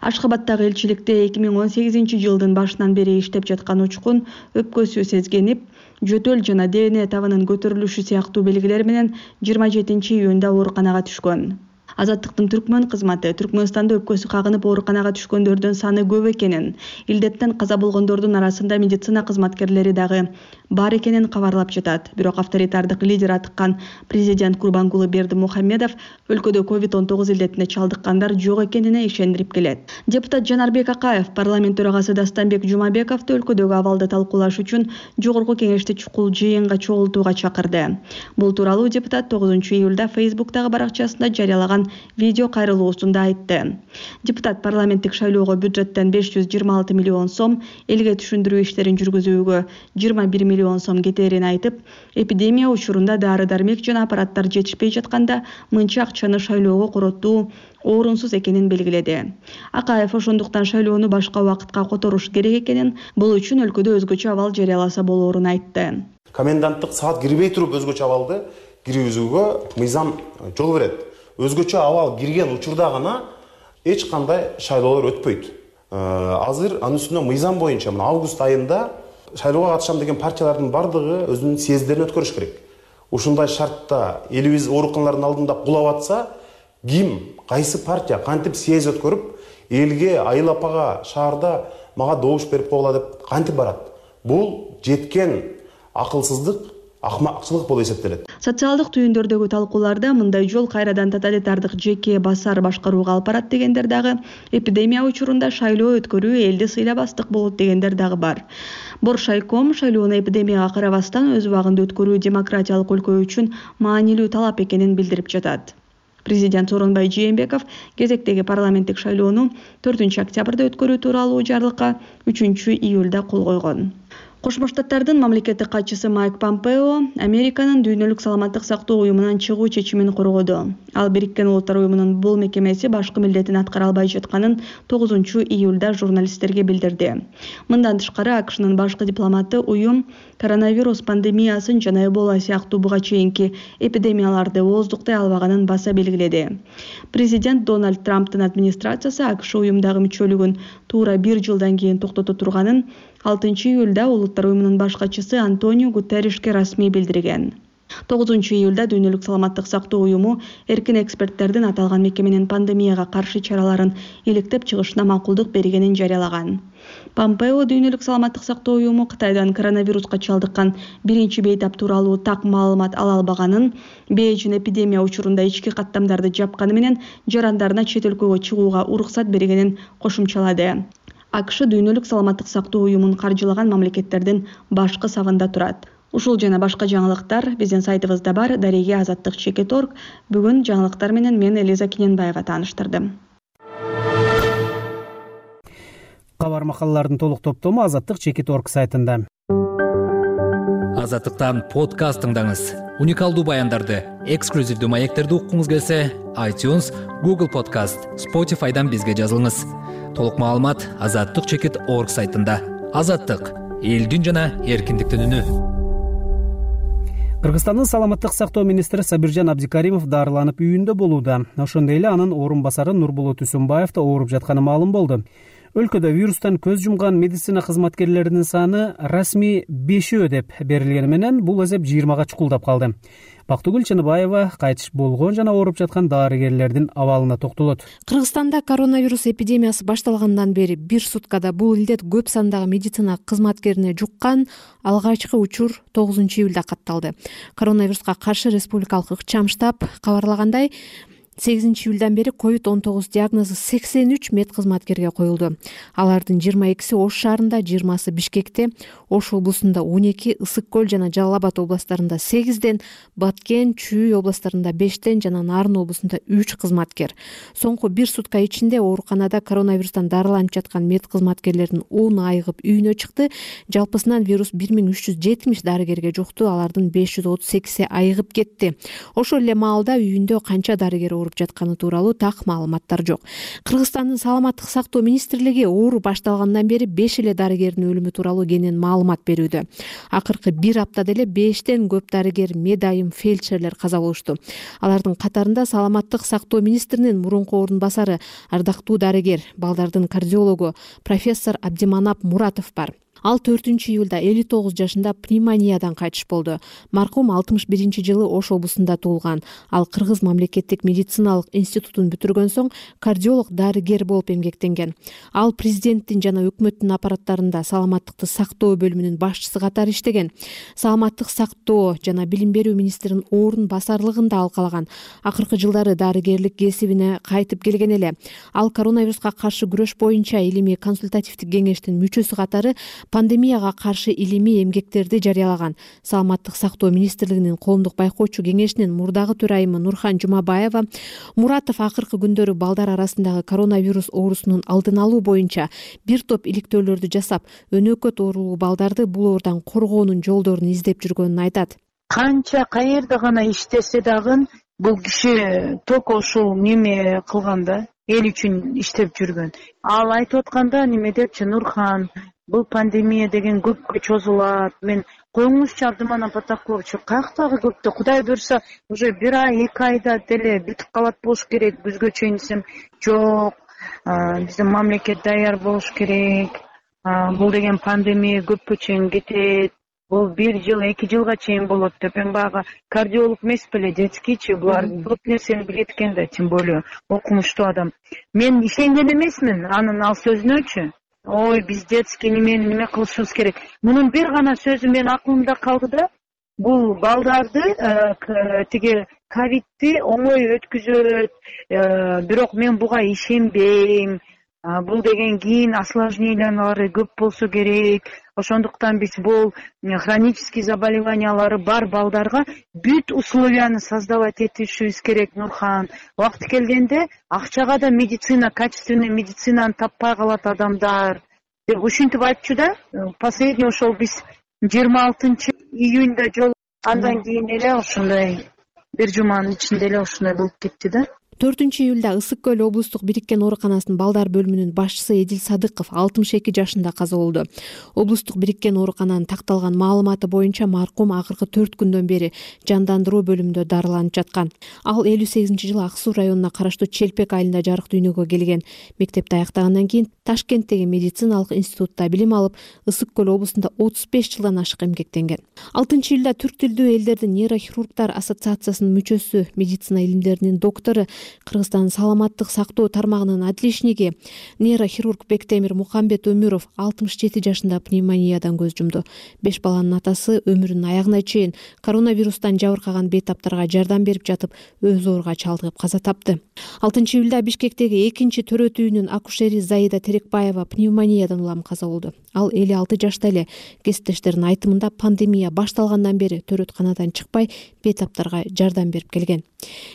Ашхабадтагы элчиликте 2018 жылдын башынан бери иштеп жаткан Учкун өпкөсү сезгенип, жөтөл жана ДНК табынын көтөрүлүшү сыяктуу белгилер менен 27 июнда ооруканага түшкөн. Азаттыктын түркмөн кызматы Түркмөнстанда өпкөсү кагынып ооруканага түшкөндөрдүн саны көп экенин, илдеттен каза болгондордун арасында медицина кызматкерлери дагы бар экенин кабарлап жатат. Бирок авторитардык лидер атыккан президент Курбангулы Бердимухамедов өлкөдө COVID-19 илдетине чалдыккандар жок экенине ишендирип келет. Депутат Жанарбек Акаев парламент төрагасы Дастанбек Жумабековду өлкөдөгү абалды талкуулаш үчүн жогорку кеңешти чукул жыйынга чогултууга чакырды. Бул тууралуу депутат 9 июлда Facebook'тагы баракчасында жарыялаган видео кайрылуусунда айтты. Депутат парламенттик шайлоого бюджеттен 526 миллион сом, элге түшүндүрүү иштерин жүргүзүүгө 21 миллион сом кетерин айтып, эпидемия учурунда дары-дармек жана аппараттар жетишпей жатканда мынча акчаны шайлоого коротуу орунсуз экенин белгиледи. Акаев ошондуктан шайлоону башка убакытка которуш керек экенин, бул үчүн өлкөдө өзгөчө абал жарыяласа болоорун айтты. Коменданттык саат кирбей туруп өзгөчө абалды киргизүүгө мыйзам жол берет. Өзгөчө абал кирген учурда гана эч кандай шайлоолор өтпөйт. Азыр анын үстүнө мыйзам боюнча август айында шайлоого катышам деген партиялардын бардыгы өзүнүн съезддерин өткөрүш керек. Ушундай шартта элибиз ооруканалардын алдында кулап атса, ким, кайсы партия кантип съезд өткөрүп, элге, айыл апага, шаарда мага добуш берип койгула деп кантип барат? Бул жеткен акылсыздык, акмакчылык болуп эсептелет. Социалдык түйүндөрдөгү талкууларда мындай жол кайрадан тоталитардык жеке басар башкарууга алып барат дегендер дагы, эпидемия учурунда шайлоо өткөрүү элди сыйлабастык болот дегендер дагы бар. Боршайком шайлоону эпидемияга карабастан өз убагында өткөрүү демократиялык өлкө үчүн маанилүү талап экенин билдирип жатат. Президент Сооронбай Жээнбеков кезектеги парламенттик шайлоону 4 октябрда өткөрүү тууралуу жарлыкка 3 июлда кол койгон. Кошмо Штаттардын мамлекеттик катчысы Майк Помпео Американын дүйнөлүк саламаттык сактоо уюмунан чыгуу чечимин коргоду. Ал Бириккен Улуттар уюмунун бул мекемеси башкы милдетин аткара албай жатканын 9 июлда журналисттерге билдирди. Мындан тышкары АКШнын башкы дипломаты уюм коронавирус пандемиясын жана Эбола сыяктуу буга чейинки эпидемияларды ооздуктай албаганын баса белгиледи. Президент Дональд Трамптын администрациясы АКШ уюмдагы мүчөлүгүн туура 1 жылдан кийин токтото турганын 6 июлда Улуттар уюмунун баш катчысы Антонио Гутерришке расмий билдирген. 9 июлда дүйнөлүк саламаттык сактоо уюму эркин эксперттердин аталган мекеменин пандемияга каршы чараларын иликтеп чыгышына макулдук бергенин жарыялаган. Помпео дүйнөлүк саламаттык сактоо уюму Кытайдан коронавируска чалдыккан биринчи бейтап тууралуу так маалымат ала албаганын, Бээжин эпидемия учурунда ички каттамдарды жапканы менен жарандарына чет өлкөгө чыгууга уруксат бергенин кошумчалады. АКШ дүйнөлүк саламаттык сактоо уюмун каржылаган мамлекеттердин башкы сабында турат. Ушул жана башка жаңылыктар биздин сайтыбызда бар. Дареге Азаттык.org. Бүгүн жаңылыктар менен мен Элиза Кененбаева тааныштырдым. Кабар макалалардын толук топтому Азаттык.org сайтында. Азаттыктан подкаст тыңдаңыз. Уникалдуу баяндарды, эксклюзивдүү маектерди уккуңуз келсе, iTunes, Google Podcast, Spotify'дан бизге жазылыңыз. Толук маалымат Азаттык.org сайтында. Азаттык — элдин жана эркиндиктин үнү. Кыргызстандын саламаттык сактоо министри Сабиржан Абдикаримов дарыланып үйүндө болууда. Ошондой эле анын орун басары Нурболот Үсүнбаев да ооруп жатканы маалым болду. Өлкөдө вирустан көз жумган медицина кызматкерлеринин саны расмий 5 деп берилгени менен бул эсеп 20га чукулдап калды. Бактыгүл Чыныбаева кайтыш болгон жана ооруп жаткан дарыгерлердин абалына токтолот. Кыргызстанда коронавирус эпидемиясы башталгандан бери бир суткада бул илдет көп сандагы медицина кызматкерине жуккан алгачкы учур 9-июлда катталды. Коронавируска каршы республикалык ыкчам штаб кабарлагандай, 8-июлдан бери COVID-19 диагнозу 83 мед кызматкерге коюлду. Алардын 22-си Ош шаарында, 20-сы Бишкекте, Ош облусунда 12, Ысык көл жана Жалал Абад областарында 8ден, Баткен, Чүй областарында 5ден жана Нарын облусунда 3 кызматкер. Соңку бир сутка ичинде ооруканада коронавирустан дарыланып жаткан мед кызматкерлердин 10 айыгып үйүнө чыкты. Жалпысынан вирус 1370 дарыгерге жукту, алардын 538 айыгып кетти. Ошол эле маалда үйүндө канча дарыгер ооруп жатканы тууралуу так маалыматтар жок. Кыргызстандын саламаттык сактоо министрлиги оору башталгандан бери 5 эле дарыгердин өлүмү тууралуу кенен маалымат берүүдө. Акыркы бир аптада эле 5тен көп дарыгер, медайым, фельдшерлер каза болушту. Алардын катарында саламаттык сактоо министринин мурунку орун басары, ардактуу дарыгер, балдардын кардиологу профессор Абдиманап Муратов бар. Ал 4-июлда 59 жашында пневмониядан кайтыш болду. Маркум 61-жылы Ош облусунда туулган. Ал Кыргыз мамлекеттик медициналык институтун бүтүргөн соң кардиолог дарыгер болуп эмгектенген. Ал президенттин жана өкмөттүн аппараттарында саламаттыкты сактоо бөлүмүнүн башчысы катары иштеген. Саламаттык сактоо жана билим берүү министринин орун басарлыгында алкалаган. Акыркы жылдары дарыгерлик кесибине кайтып келген эле. Ал коронавируска каршы күрөш боюнча илимий консультативдик кеңештин мүчөсү катары пандемияга каршы илимий эмгектерди жарыялаган. Саламаттык сактоо министрлигинин коомдук байкоочу кеңешинин мурдагы төрайымы Нурхан Жумабаева Муратов акыркы күндөрү балдар арасындагы коронавирус оорусунун алдын алуу боюнча бир топ иликтөөлөрдү жасап, өнөкөт оорулуу балдарды бул оордон коргоонун жолдорун издеп жүргөнүн айтат. Канча каерде гана иштесе дагы бул киши только ушул неме кылганда, эл үчүн иштеп жүргөн. Ал айтып атканда неме депчи, Нурхан, бул пандемия деген көпкө чозулат. Мен коюңузчу Абдыманап Атакуловичу, каяктагы көптө, Кудай буюрса, уже 1 ай, 2 айда деле бүтүп калат болуш керек. Күзгө чейин десем, жок. Биздин мамлекет даяр болуш керек. Бул деген пандемия көпкө чейин кетет. Бул 1 жыл, 2 жылга чейин болот деп. Мен баягы кардиолог эмес беле, детскийчи, булар көп нерсени билет экен да, тем более окумуштуу адам. Мен ишенген эмесмин анын ал сөзүнөчү. Ой, биз детский неме кылышыбыз керек. Мунун бир гана сөзү мен акылымда калды да, бул балдарды тиги ковидти оңой өткүзөт, бирок мен буга ишенбейм. Бул деген кийин осложнениялары көп болсо керек. Ошондуктан биз бул хронический заболеваниялары бар балдарга бүт условияны создавать этишибиз керек, Нурхан. Убакыты келгенде акчага да медицина, качественный медицинаны таппай калат адамдар деп ушинтип айтчу да. Последний ошол биз 26 июнда жол, андан кийин эле ошондой бир жуманын ичинде эле ошондой болуп кетти да. 4-июлда Ысык көл облустук бириккен ооруканасынын балдар бөлүмүнүн башчысы Эдил Садыков 62 жашында каза болду. Облустук бириккен оорукананын такталган маалыматы боюнча маркум акыркы 4 күндөн бери жандандыруу бөлүмүндө дарыланып жаткан. Ал 58-жылы Ак Суу районуна караштуу Челпек айылында жарык дүйнөгө келген. Мектепти аяктагандан кийин Ташкенттеги медициналык институтта билим алып, Ысык көл облусунда 35 жылдан ашык эмгектенген. 6-июлда Түрк тилдүү элдердин нейрохирургдар ассоциациясынын мүчөсү, медицина илимдеринин доктору Кыргызстан саламаттык сактоо тармагынын отличниги нейрохирург Бектемир Мукамбет Өмүров 67 жашында пневмониядан көз жумду. 5 баланын атасы өмүрүнүн аягына чейин коронавирустан жабыркаган бейтаптарга жардам берип жатып өз ооруга чалдыгып каза тапты. 6-июлда Бишкектеги 2-төрөт үйүнүн акушери Заида Терекбаева пневмониядан улам каза болду. Ал 56 жашта эле. Кесиптештеринин айтымында пандемия башталгандан бери төрөтканадан чыкпай бейтаптарга жардам берип келген.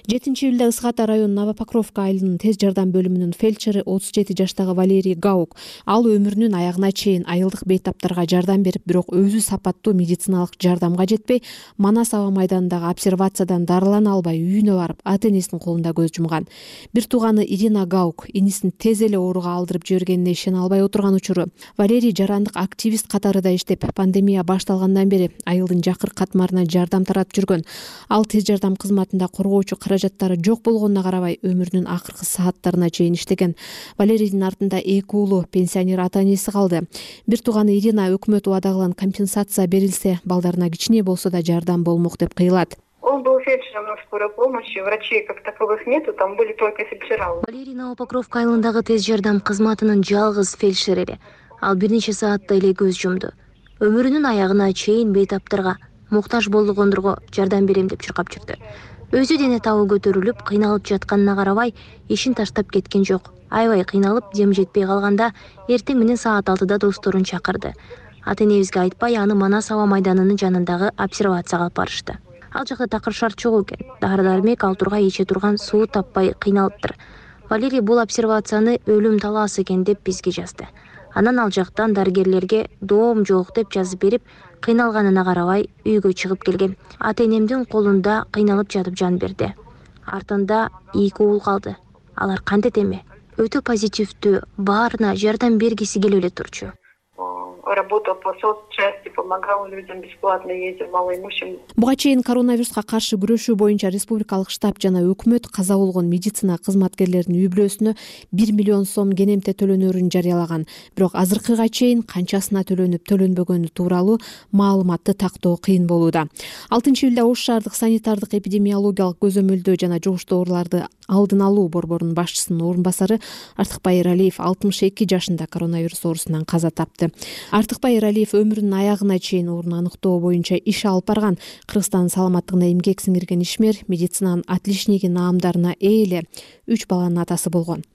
7-июлда Ысык Ата районунун Новопокровка айылынын тез жардам бөлүмүнүн фельдшери 37 жаштагы Валерий Гаук. Ал өмүрүнүн аягына чейин айылдык бейтаптарга жардам берип, бирок өзү сапаттуу медициналык жардамга жетпей, Манас аба майданындагы обсервациядан дарылана албай үйүнө барып, ата-энесинин колунда көз жумган. Бир тууганы Ирина Гаук инисин тез эле ооруга алдырып жибергенине ишене албай отурган учуру. Валерий жарандык активист катарында иштеп, пандемия башталгандан бери айылдын жакыр катмарына жардам таратып жүргөн. Ал тез жардам кызматында коргоочу каражаттары жок болгонуна карабай, өмүрүнүн акыркы сааттарына чейин иштеген. Валерийдин артында 2 уулу, пенсионер ата-энеси калды. Бир тууганы Ирина өкмөт убадаган компенсация берилсе, балдарына кичине болсо да жардам болмок деп кыйлат. Он был фельдшером на скорой помощи, врачей как таковых нету, там были только фельдшера. Валерий Новопокровка айылындагы тез жардам кызматынын жалгыз фельдшери. Ал бир нече саатта эле көз жумду. Өмүрүнүн аягына чейин бейтаптарга, муктаж болгондорго жардам берем деп чуркап жүрдү. Өзү дене табы көтөрүлүп, кыйналып жатканына карабай, ишин таштап кеткен жок. Аябай кыйналып, дем жетпей калганда, эртең менен саат 6-да досторун чакырды. Ата-энебизге айтпай, аны Манас аба майданынын жанындагы обсервацияга алып барышты. Ал жакта такыр шарт жок экен. Дары-дармек алтурга иче турган суу таппай кыйналыптыр. Валерий бул обсервацияны өлүм талаасы экен деп бизге жазды. Анан ал жактан дарыгерлерге доом жок деп жазып берип, кыйналганына карабай үйгө чыгып келген. Ата-энемдин колунда кыйналып жатып жан берди. Артында 2 уул калды. Алар кантет эме? Өтө позитивдүү, баарына жардам бергиси келип эле турчу. Работал по соцчасти, помогал людям, бесплатно ездил малоимущим. Буга чейин коронавируска каршы күрөшүү боюнча республикалык штаб жана өкмөт каза болгон медицина кызматкерлеринин үй бүлөсүнө 1 миллион сом кенемте төлөнөрүн жарыялаган. Бирок азыркыга чейин канчасына төлөнүп, төлөнбөгөнү тууралуу маалыматты тактоо кыйын болууда. 6-июлда Ош шаардык санитардык эпидемиологиялык көзөмөлдөө жана жугуштуу ооруларды алдын алуу борборунун башчысынын орун басары Артыкбай Эралиев 62 жашында коронавирус оорусунан каза тапты. Артыкбай Эралиев өмүрүнүн аягына чейин оорууну аныктоо боюнча иш алып барган. Кыргызстан саламаттыгына эмгек сиңирген ишмер, медицинанын отличниги наамдарына ээ эле 3 баланын атасы болгон.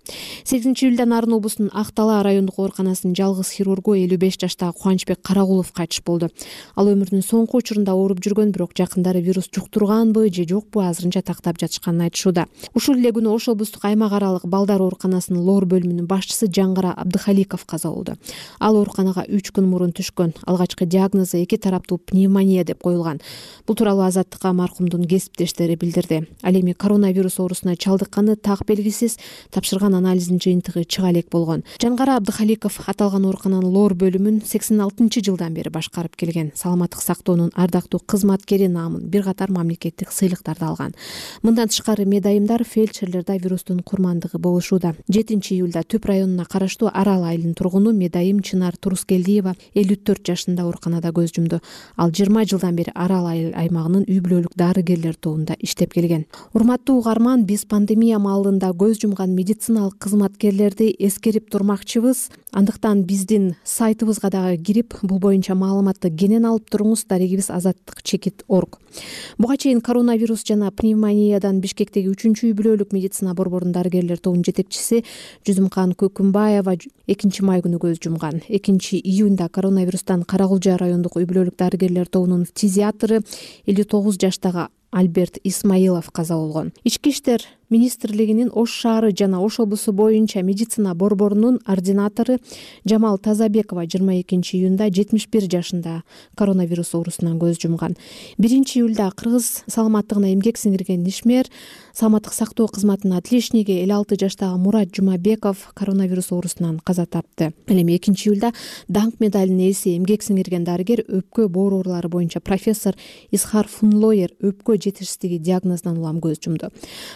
8-июлда Нарын облусунун Ак-Талаа райондук ооруканасынын жалгыз хирургу 55 жаштагы Кубанычбек Карагулов кайтыш болду. Ал өмүрүнүн соңку учурунда ооруп жүргөн, бирок жакындары вирус жуктурганбы же жокпу азырынча тактап жатышканын айтышууда. Ушул эле күнү Ош облустук аймак аралык балдар ооруканасынын лоор бөлүмүнүн башчысы Жаңгара Абдыхаликов каза болду. Ал ооруканага 3 күн мурун түшкөн. Алгачкы диагнозу 2 тараптуу пневмония деп коюлган. Бул тууралуу Азаттыкка маркумдун кесиптештери билдирди. Ал эми коронавирус оорусуна чалдыкканы так белгисиз, тапшырган анализдин жыйынтыгы чыга элек болгон. Жаңгара Абдыхаликов аталган оорукананын лоор бөлүмүн 86-жылдан бери башкарып келген. Саламаттык сактоонун ардактуу кызматкери наамын бир катар мамлекеттик сыйлыктарды алган. Мындан тышкары медайымдар фельдшерлерде вирустун курмандыгы болушууда. 7-июлда Түп районуна караштуу Арал айылынын тургуну медайым Чынар Турускелдиева 54 жашында ооруканада көз жумду. Ал 20 жылдан бери Арал айыл аймагынын үй бүлөлүк дарыгерлер тобунда иштеп келген. Урматтуу угарман, биз пандемия маалында көз жумган медициналык кызматкерлерди эскерип турмакчыбыз. Андыктан биздин сайтыбызга дагы кирип, бул боюнча маалыматты кенен алып туруңуз. Дарегибиз azattik.org. Буга чейин коронавирус жана пневмониядан Бишкектеги 3-үй бүлөлүк медицина борборунун дарыгерлер тобунун жетекчиси Жүзүмкан Көкүмбаева 2 май күнү көз жумган. 2-июнда коронавирустан Карагулжа райондук үй бүлөлүк дарыгерлер тобунун фтизиатры 59 жаштагы Альберт Исмаилов каза болгон. Ички иштер министрлигинин Ош шаары жана Ош облусу боюнча медицина борборунун ординатору Жамал Тазабекова 22-июнда 71 жашында коронавирус оорусунан көз жумган. 1-июлда Кыргыз саламаттыгына эмгек сиңирген ишмер, саламаттык сактоо кызматынын отличниги 56 жаштагы Мурат Жумабеков коронавирус оорусунан каза тапты. Ал эми 2-июлда даңк медалынын ээси, эмгек сиңирген дарыгер, өпкө боор оорулары боюнча профессор Исхар Фунлоер өпкө жетишсиздиги диагнозунан улам көз жумду.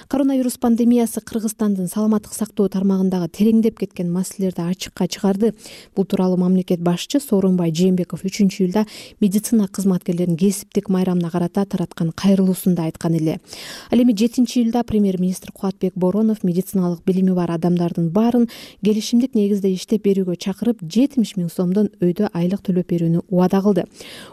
Коронавирус Коронавирус пандемиясы Кыргызстандын саламаттык сактоо тармагындагы тереңдеп кеткен маселелерди ачыкка чыгарды. Бул тууралуу мамлекет башчы Сооронбай Жээнбеков 3-июлда медицина кызматкерлеринин кесиптик майрамына карата тараткан кайрылуусунда айткан эле. Ал эми 7-июлда премьер-министр Кубатбек Боронов медициналык билими бар адамдардын баарын келишимдик негизде иштеп берүүгө чакырып 70 000 сомдон өйдө айлык төлөп берүүнү убада кылды.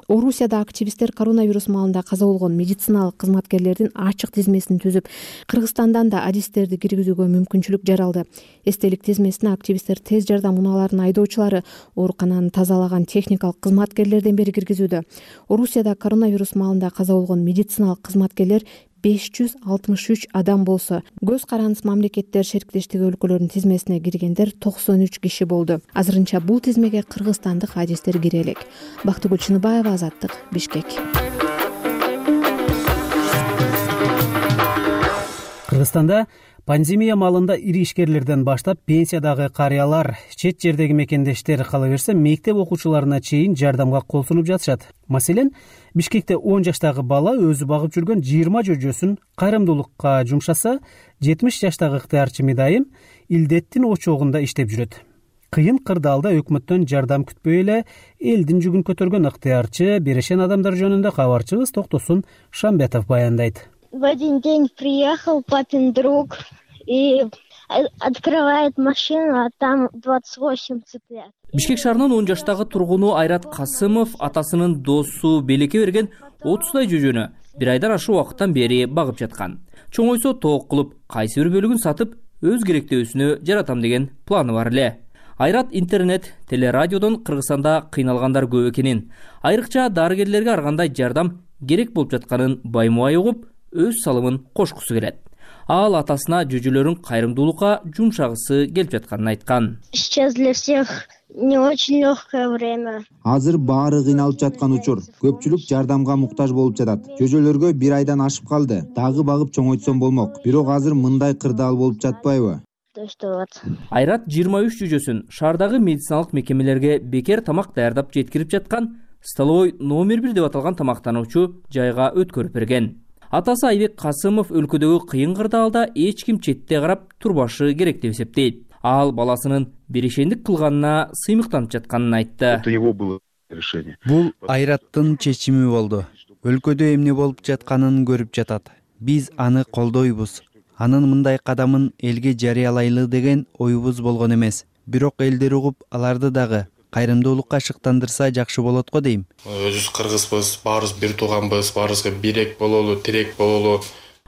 Орусияда активисттер коронавирус маалында каза болгон медициналык кызматкерлердин ачык тизмесин түзүп, Кыргызстандан да адистерди киргизүүгө мүмкүнчүлүк жаралды. Эстелик тизмесине активисттер тез жардам унааларынын айдоочулары, оорукананы тазалаган техникалык кызматкерлерден бери киргизүүдө. Орусияда коронавирус маалында каза болгон медициналык кызматкерлер 563 адам болсо, көз карандысыз мамлекеттер шериктештиги өлкөлөрүнүн тизмесине киргендер 93 киши болду. Азырынча бул тизмеге кыргызстандык адистер кире элек. Бактыгүл Чыныбаева, Азаттык, Бишкек. Кыргызстанда пандемия маалында ири ишкерлерден баштап пенсиядагы карыялар, чет жердеги мекендештер, кала берсе мектеп окуучуларына чейин жардамга кол сунуп жатышат. Маселен, Бишкекте 10 жаштагы бала өзү багып жүргөн 20 жөжөсүн кайрымдуулукка жумшаса, 70 жаштагы ыктыярчы Медайым илдеттин очогунда иштеп жүрөт. Кыйын кырдаалда өкмөттөн жардам күтпөй эле элдин жүгүн көтөргөн ыктыярчы берешен адамдар жөнүндө кабарчыбыз Токтосун Шамбетов баяндайт. В один день приехал папин друг и открывает машину, а там 28 цыплят. Бишкек шаарынын 10 жаштагы тургуну Айрат Касымов атасынын досу Белекке берген 30дай жөжөнү бир айдан ашык убакыттан бери багып жаткан. Чоңойсо тоок кылып, кайсы бир бөлүгүн сатып, өз керектөөсүнө жаратам деген планы бар эле. Айрат интернет, телерадиодон Кыргызстанда кыйналгандар көп экенин, айрыкча дарыгерлерге ар кандай жардам керек болуп жатканын баймубай угуп, өз салымын кошкусу келет. Ал атасына жөжөлөрүн кайрымдуулукка жумшагысы келип жатканын айткан. Сейчас для всех не очень легкое время. Азыр баары кыйналып жаткан учур. Көпчүлүк жардамга муктаж болуп жатат. Жөжөлөргө бир айдан ашып калды. Дагы багып чоңойтсом болмок. Бирок азыр мындай кырдаал болуп жатпайбы? Айрат 23 жөжөсүн шаардагы медициналык мекемелерге бекер тамак даярдап жеткирип жаткан столовой номер 1 деп аталган тамактануучу жайга өткөрүп берген. Атасы Айбек Касымов өлкөдөгү кыйын кырдаалда эч ким четте карап турбашы керек деп эсептейт. Ал баласынын берешендик кылганына сыймыктанып жатканын айтты. Бул Айраттын чечими болду. Өлкөдө эмне болуп жатканын көрүп жатат. Биз аны колдойбуз. Анын мындай кадамын элге жарыялайлы деген оюбуз болгон эмес. Бирок элдер угуп, аларды дагы кайрымдуулукка шыктандырса жакшы болот го дейм. Өзүбүз кыргызбыз, баарыбыз бир тууганбыз, баарыбызга бирек бололу, тирек бололу.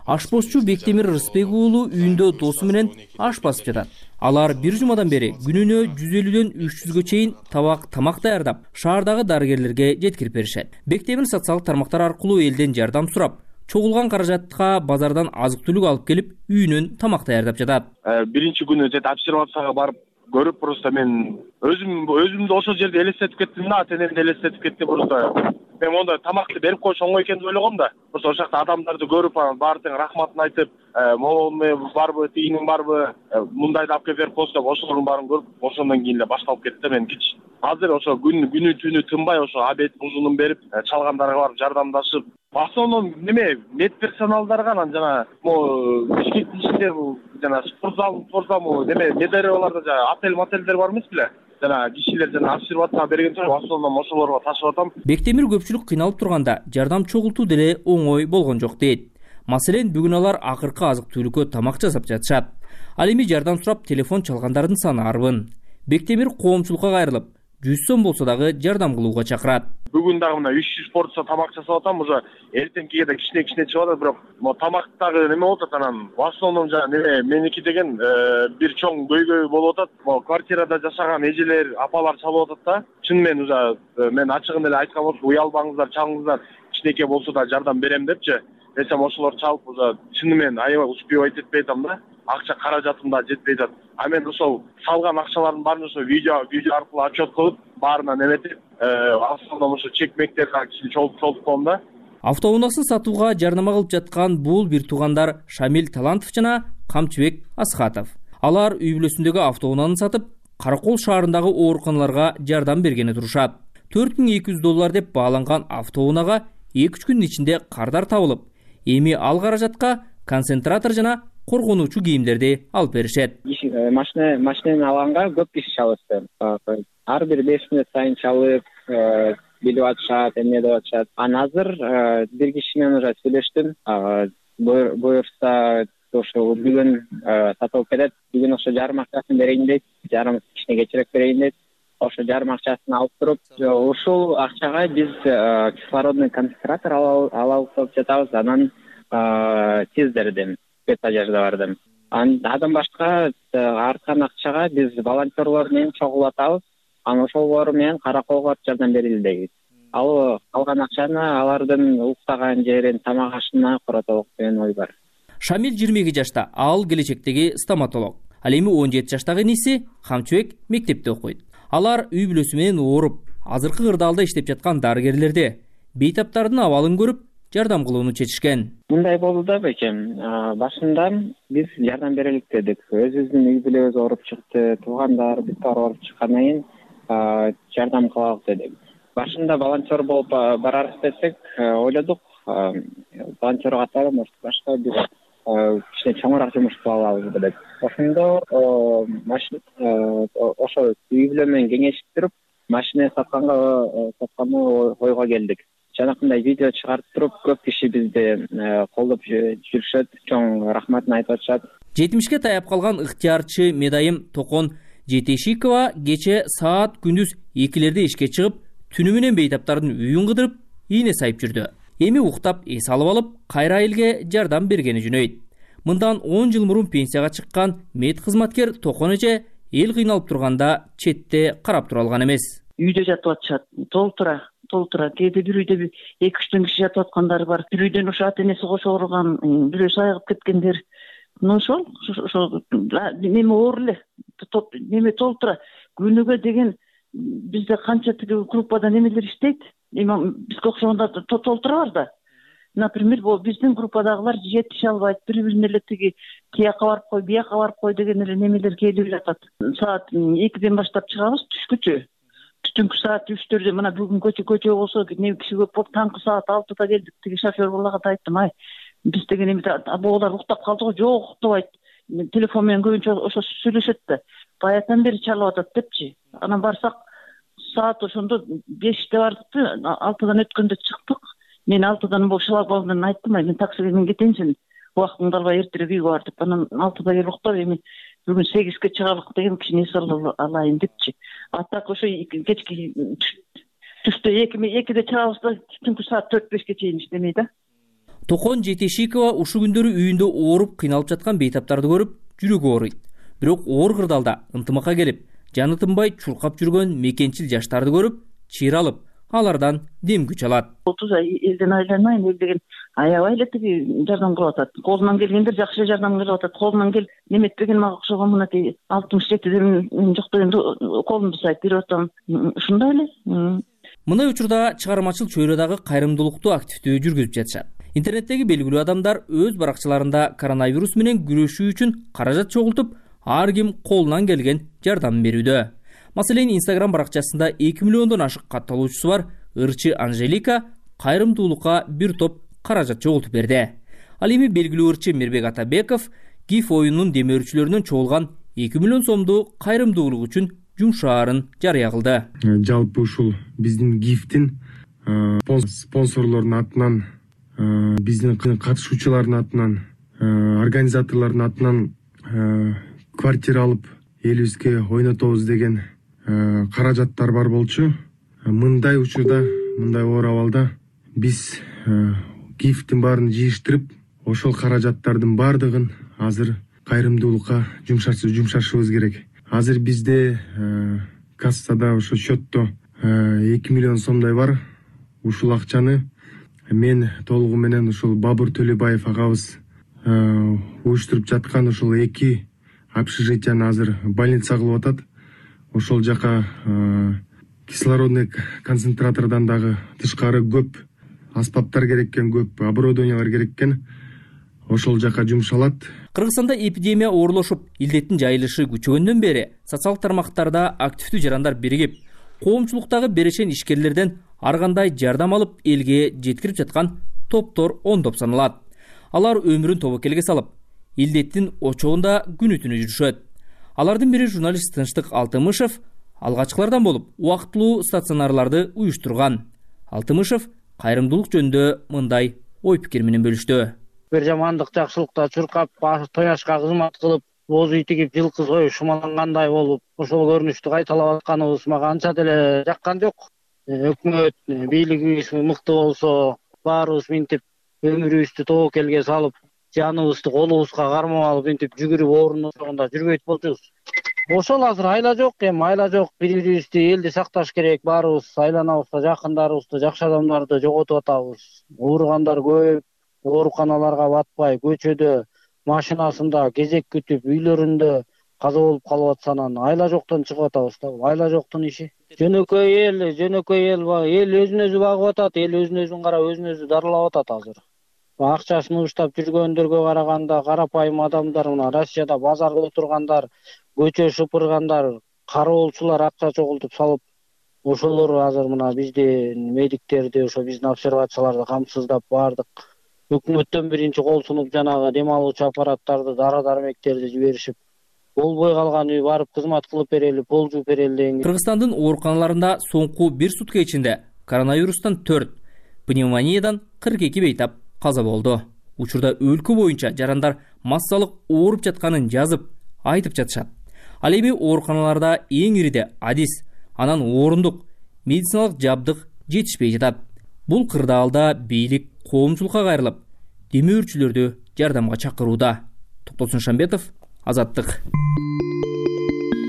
Ашпозчу Бектемир Рыспек уулу үйүндө досу менен аш басып жатат. Алар бир жумадан бери күнүнө 150дөн 300гө чейин тамак даярдап, шаардагы дарыгерлерге жеткирип беришет. Бектемир социалдык тармактар аркылуу элден жардам сурап, чогулган каражатка базардан азык-түлүк алып келип, үйүнөн тамак даярдап жатат. Биринчи күнү обсервацияга барып көрүп, просто мен өзүмдү ошол жерде элестетип кеттим да, ата-энемди элестетип кеттим. Просто мен монда тамакты берип койуш оңой экен деп ойлогом да. Просто ошол жакта адамдарды көрүп, баары тең рахматын айтып, молоң барбы, тийиниң барбы, мындайды алып келип берип койсо, ошолордун баарын көрүп, ошондон кийин эле башталып кетти. Мен азыр ошо күнү түнү тынбай ошо обед ужунун берип, чалгандарга барып жардамдашып, в основном медперсоналдарга, анан жана могу Бишкектин ичинде жана спортзал медареваларда отель-мотелдер бар эмес беле? Жана кишилер обсервацияга берген соң, в основном ошолорго ташып атам. Бектемир көпчүлүк кыйналып турганда жардам чогултуу деле оңой болгон жок дейт. Маселен, бүгүн алар акыркы азык-түлүккө тамак жасап жатышат. Ал эми жардам сурап телефон чалгандардын саны арбын. Бектемир коомчулукка кайрылып, 100 сом болсо дагы жардам кылууга чакырат. Бүгүн дагы мына 300 порция тамак жасап атам, уже эртеңкиге да кичине чыгып атат, бирок тамактагы неме болуп атат, анан в основном меники деген бир чоң көйгөй болуп атат. Квартирада жашаган эжелер, апалар чалып атат да. Чынымен уже мен ачыгын эле айткан болсом, уялбаңыздар, чалыңыздар, кичинекей болсо да жардам берем депчи. Десем ошолор чалып, уже чынымен аябай успевать етпей атам да. Акча каражатым да жетпей атат. А мен ошол салган акчалардын баарын ошо видео аркылуу отчет кылып, баарына неметип, основном ошо чек-мектерге кичине чогултуп коем да. Автоунаасын сатууга жарнама кылып жаткан бул бир туугандар Шамил Талантов жана Камчыбек Асхатов. Алар үй бүлөсүндөгү автоунааны сатып, Каракол шаарындагы ооруканаларга жардам бергени турушат. $4200 деп бааланган автоунаага 2-3 күндүн ичинде кардар табылып, эми ал каражатка концентратор жана коргонуучу кийимдерди алып беришет. Машинени алганга көп киши чалышты. Ар бир 5 мүнөт сайын чалып билип атышат, эмне деп атышат. Азыр бир киши менен уже сүйлөштүм. Буюрса ошо бүгүн сатылып кетет. Бүгүн ошо жарым акчасын берейин дейт. Жарым кишине кечирээк берейин дейт. Ошо жарым акчасын алып туруп, ушул акчага биз кислородный концентратор алабыз деп жатабыз. Анан тиздердим, спецодеждалардым. Андан башка арткан акчага биз волонтерлор менен чогулатабыз. Анан ошолор менен кара колго жардам берели дейбиз. Ал калган акчаны алардын уктаган жерин, тамак ашына коротолук деген ой бар. Шамил 22 жашта, ал келечектеги стоматолог. Ал эми 17 жаштагы иниси Камчыбек мектепте окуйт. Алар үй бүлөсү менен ооруп, азыркы кырдаалда иштеп жаткан дарыгерлерде бейтаптардын абалын көрүп, жардам кылууну чечишкен. Мындай болду да бекем. Башында биз жардам берелик дедик. Өзүбүздүн үй бүлөбүз ооруп чыкты, туугандар биз бар ооруп чыккандан кийин жардам кылалык дедик. Башында волонтер болуп барарбыз десек, ойлодук, волонтер катары может башка бир кичине чоңураак жумуш кыла алабыз деп. Ошондо ошо үй бүлө менен кеңешип туруп, машина сатканга ойго келдик. Жанакындай видео чыгарып туруп, көп киши бизди колдоп жүрүшөт, чоң рахматын айтып атышат. 70ке таяп калган ыктыярчы медайым Токон Жетешикова кече саат күндүз 2-лерде ишке чыгып, түнү менен бейтаптардын үйүн кыдырып, ийне сайып жүрдү. Эми уктап эс алып алып, кайра элге жардам бергени жөнөйт. Мындан 10 жыл мурун пенсияга чыккан мед кызматкер Токон эже эл кыйналып турганда четте карап тура алган эмес. Үйдө жатып атышат, толтура. Кээде бир үйдө 2-3 киши жатып аткандар бар. Бир үйдөн ошо ата энеси кошо ооруган, бирөө сайыгып кеткендер. Ошол неме оор эле, неме толтура. Күнүгө деген бизде канча тиги группада немелер иштейт. Эми бизге окшогондор толтура бар да. Например, биздин группадагылар жетише албайт, бири-бирине эле тиги тияка барып кой, бияка барып кой деген эле немелер келип жатат. Саат 2-ден баштап чыгабыз түшкүчө. Түнкү саат 3-төрдө мына бүгүн көчө болсо, не киши көп болуп, таңкы саат 6-да келдик. Тиги шофер балага да айттым, биз деген эми боолар уктап калды го, жок уктабайт. Телефон менен көбүнчө ошо сүйлөшөт да. Баятан бери чалып атат депчи. Анан барсак, саат ошондо 5-те бардык, 6-дан өткөндө чыктык. Мен 6-дан шлагбаумдан айттым, мен таксиге мен кетейинсин. Убактыңды албай эртерээк үйгө бар деп. Анан 6-да келип уктап, эми бүгүн 8-ке чыгалык деген кичине эс алайын депчи. Так ошо кечки түштө 2-де чыгабыз да, түнкү саат 4-5ке чейин иштемей да. Токон Жетешикова ушу күндөрү үйүндө ооруп, кыйналып жаткан бейтаптарды көрүп, жүрөгү ооруйт. Бирок оор кырдаалда ынтымакка келип, жаны тынбай чуркап жүргөн мекенчил жаштарды көрүп, чыйра алып, алардан дем күч алат. 30 ай элден айланайын, эл деген аябай эле тиги жардам кылып атат. Колунан келгендер жакшы жардам кылып атат. Колунан келип неметпеген мага окшогон мынакей 67 жок дегенде колумду сайып берип атам. Ушундай эле. Мындай учурда чыгармачыл чөйрөдөгү кайрымдуулукту активдүү жүргүзүп жатышат. Интернеттеги белгилүү адамдар өз баракчаларында коронавирус менен күрөшүү үчүн каражат чогултуп, ар ким колунан келген жардам берүүдө. Маселен, Instagram баракчасында 2 миллиондон ашык катталуучусу бар ырчы Анжелика кайрымдуулукка бир топ каражат чогултуп берди. Ал эми белгилүү ырчы Мирбек Атабеков ГИФ оюнунун демөөрчүлөрүнөн чогулган 2 миллион сомду кайрымдуулук үчүн жумшаарын жарыя кылды. Жалпы ушул биздин ГИФтин спонсорлордун атынан, биздин катышуучулардын атынан, организаторлордун атынан квартира алып элибизге ойнотобуз деген каражаттар бар болчу. Мындай учурда, мындай оор абалда биз ГИФтин баарын жыйыштырып, ошол каражаттардын баардыгын азыр кайрымдуулукка жумшашыбыз керек. Азыр бизде кассада ошо счетто 2 миллион сомдой бар. Ушул акчаны мен толугу менен ушул Бабур Төлөбаев агабыз уюштуруп жаткан ушул 2 общежитияны азыр больница кылып атат. Ошол жака кислородный концентратордон дагы тышкары көп аспаптар керек экен, көп оборудованиялар керек экен. Ошол жака жумшалат. Кыргызстанда эпидемия оорлошуп, илдеттин жайылышы күчөгөндөн бери социалдык тармактарда активдүү жарандар биригип, коомчулуктагы берешен ишкерлерден ар кандай жардам алып элге жеткирип жаткан топтор ондоп саналат. Алар өмүрүн тобокелге салып, илдеттин очогунда күнү түнү жүрүшөт. Алардын бири журналист Тынчтык Алтымышев алгачкылардан болуп убактылуу стационарларды уюштурган. Алтымышев кайрымдуулук жөнүндө мындай ой пикир менен бөлүштү. Бир жамандык жакшылыкта чуркап, тояшка кызмат кылып, боз үй тигип, жылкы союп, шумалангандай болуп, ошол көрүнүштү кайталап атканыбыз мага анча деле жаккан жок. Өкмөт, бийлигибиз мыкты болсо, баарыбыз мынтип өмүрүбүздү тобокелге салып, жаныбызды колубузга кармап алып, мынтип жүгүрүп оорунун ошогунда жүрбөйт болчубуз. Ошол азыр айла жок, айла жок. Бири-бирибизди элди сакташ керек. Баарыбыз айланабызда жакындарыбызды, жакшы адамдарды жоготуп атабыз. Ооругандар көп, ооруканаларга батпай, көчөдө, машинасында кезек күтүп, үйлөрүндө каза болуп калып атсанан айла жоктон чыгып атабыз да. Айла жоктун иши. Жөнөкөй эл өзүн өзү багып атат, эл өзүн өзүн карап, өзүн өзү дарылап атат азыр. Акчасын уштап жүргөндөргө караганда карапайым адамдар, мына Россияда базарда отургандар, көчө шыпыргандар, кароолчулар акча чогултуп салып, ошолор азыр мына биздин медиктерди, ошо биздин обсервацияларды камсыздап бардык. Өкмөттөн биринчи кол сунуп жанагы дем алуучу аппараттарды, дары-дармектерди жиберишип, болбой калган үй барып кызмат кылып берели, пол жууп берели деген. Кыргызстандын ооруканаларында соңку бир сутка ичинде коронавирустан 4, пневмониядан 42 бейтап каза болду. Учурда өлкө боюнча жарандар массалык ооруп жатканын жазып, айтып жатышат. Ал эми ооруканаларда эң ириде адис, анан орундук, медициналык жабдык жетишпей жатат. Бул кырдаалда бийлик коомчулукка кайрылып, демөөрчүлөрдү жардамга чакырууда. Токтосун Шамбетов, Азаттык.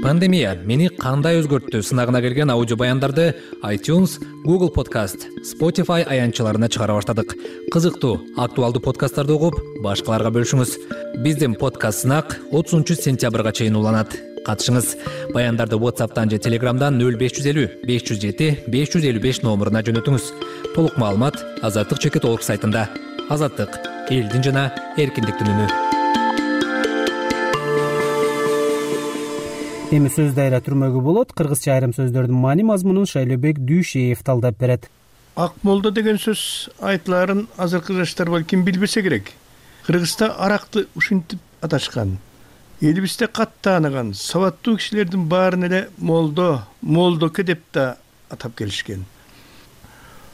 Пандемия мени кандай өзгөрттү сынагына келген аудио баяндарды iTunes, Google Podcast, Spotify аянтчаларына чыгара баштадык. Кызыктуу, актуалдуу подкасттарды угуп, башкаларга бөлүшүңүз. Биздин подкаст сынак 30-сентябрга чейин уланат. Катышыңыз. Баяндарды WhatsApp'тан же Telegram'дан 0550 507 555 номуруна жөнөтүңүз. Толук маалымат azattik.org сайтында. Азаттык — элдин жана эркиндиктин үнү. Эми сөз дайра түрмөгү болот. Кыргызча айрым сөздөрдүн маани мазмунун Шайлебек Дүйшеев талдап берет. Ак молдо деген сөз айтыларын азыркы жаштар балким билбесе керек. Кыргызда аракты ушинтип аташкан. Элибизде катты тааныган сабаттуу кишилердин баарын эле молдоке деп да атап келишкен.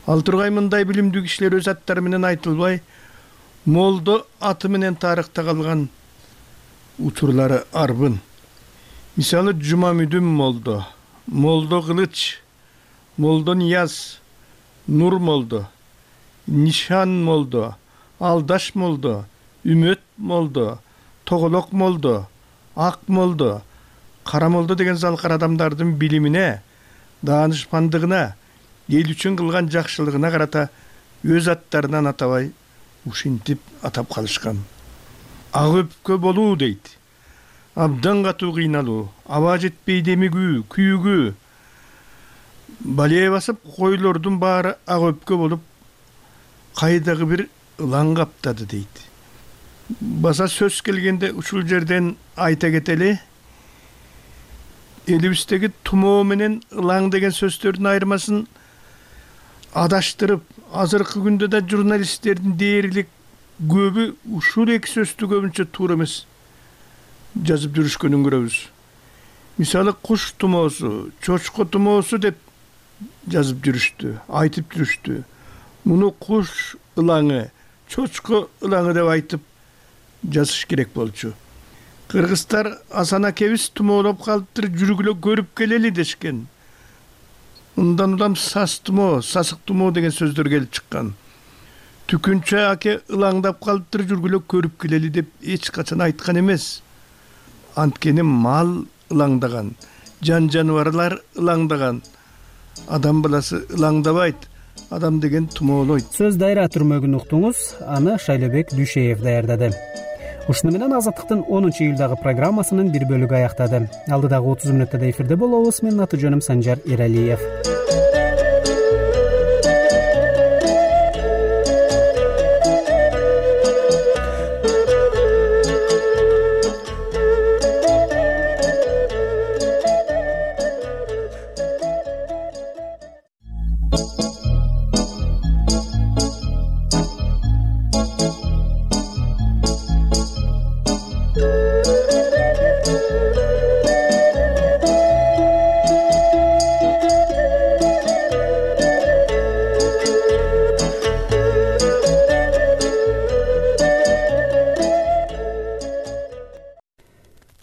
Ал тургай мындай билимдүү кишилер өз аттары менен айтылбай, молдо аты менен тарыхта калган учурлары арбын. Мисалы Жумамүдүн молдо, молдо Кылыч, молдо Нияз, Нур молдо, Нишан молдо, Алдаш молдо, Үмөт молдо, Тоголок молдо, Ак молдо, Кара молдо деген залкар адамдардын билимине, даанышмандыгына, эл үчүн кылган жакшылыгына карата өз аттарынан атабай ушинтип атап калышкан. Ак өпкө болуу дейт. Абдан катуу кыйналуу, аба жетпей демигүү, күйүгүү. Балее басып койлордун баары ак өпкө болуп, кайдагы бир ылаң каптады дейт. Баса сөз келгенде ушул жерден айта кетели. Элибиздеги тумоо менен ылаң деген сөздөрдүн айырмасын адаштырып, азыркы күндө да журналисттердин дээрлик көбү ушул эки сөздү көбүнчө туура эмес жазып жүрүшкөнүн көрөбүз. Мисалы куш тумоосу, чочко тумоосу деп жазып жүрүштү, айтып жүрүштү. Муну куш ылаңы, чочко ылаңы деп айтып жазыш керек болчу. Кыргыздар Асан акебиз тумоолоп калыптыр, жүргүлө көрүп келели дешкен. Мындан улам сас тумоо, сасык тумоо деген сөздөр келип чыккан. Түкүнчө аке ылаңдап калыптыр, жүргүлө көрүп келели деп эч качан айткан эмес. Анткени мал ылаңдаган, жаныбарлар ылаңдаган. Адам баласы ылаңдабайт. Адам деген тумоолойт. Сөз дайра түрмөгүн уктуңуз. Аны Шайлебек Дүйшеев даярдады. Ушуну менен Азаттыктын 10-июлдагы программасынын бир бөлүгү аяктады. Алдыдагы 30 мүнөттө эфирде болобуз. Менин аты жөнүм Санжар Эралиев.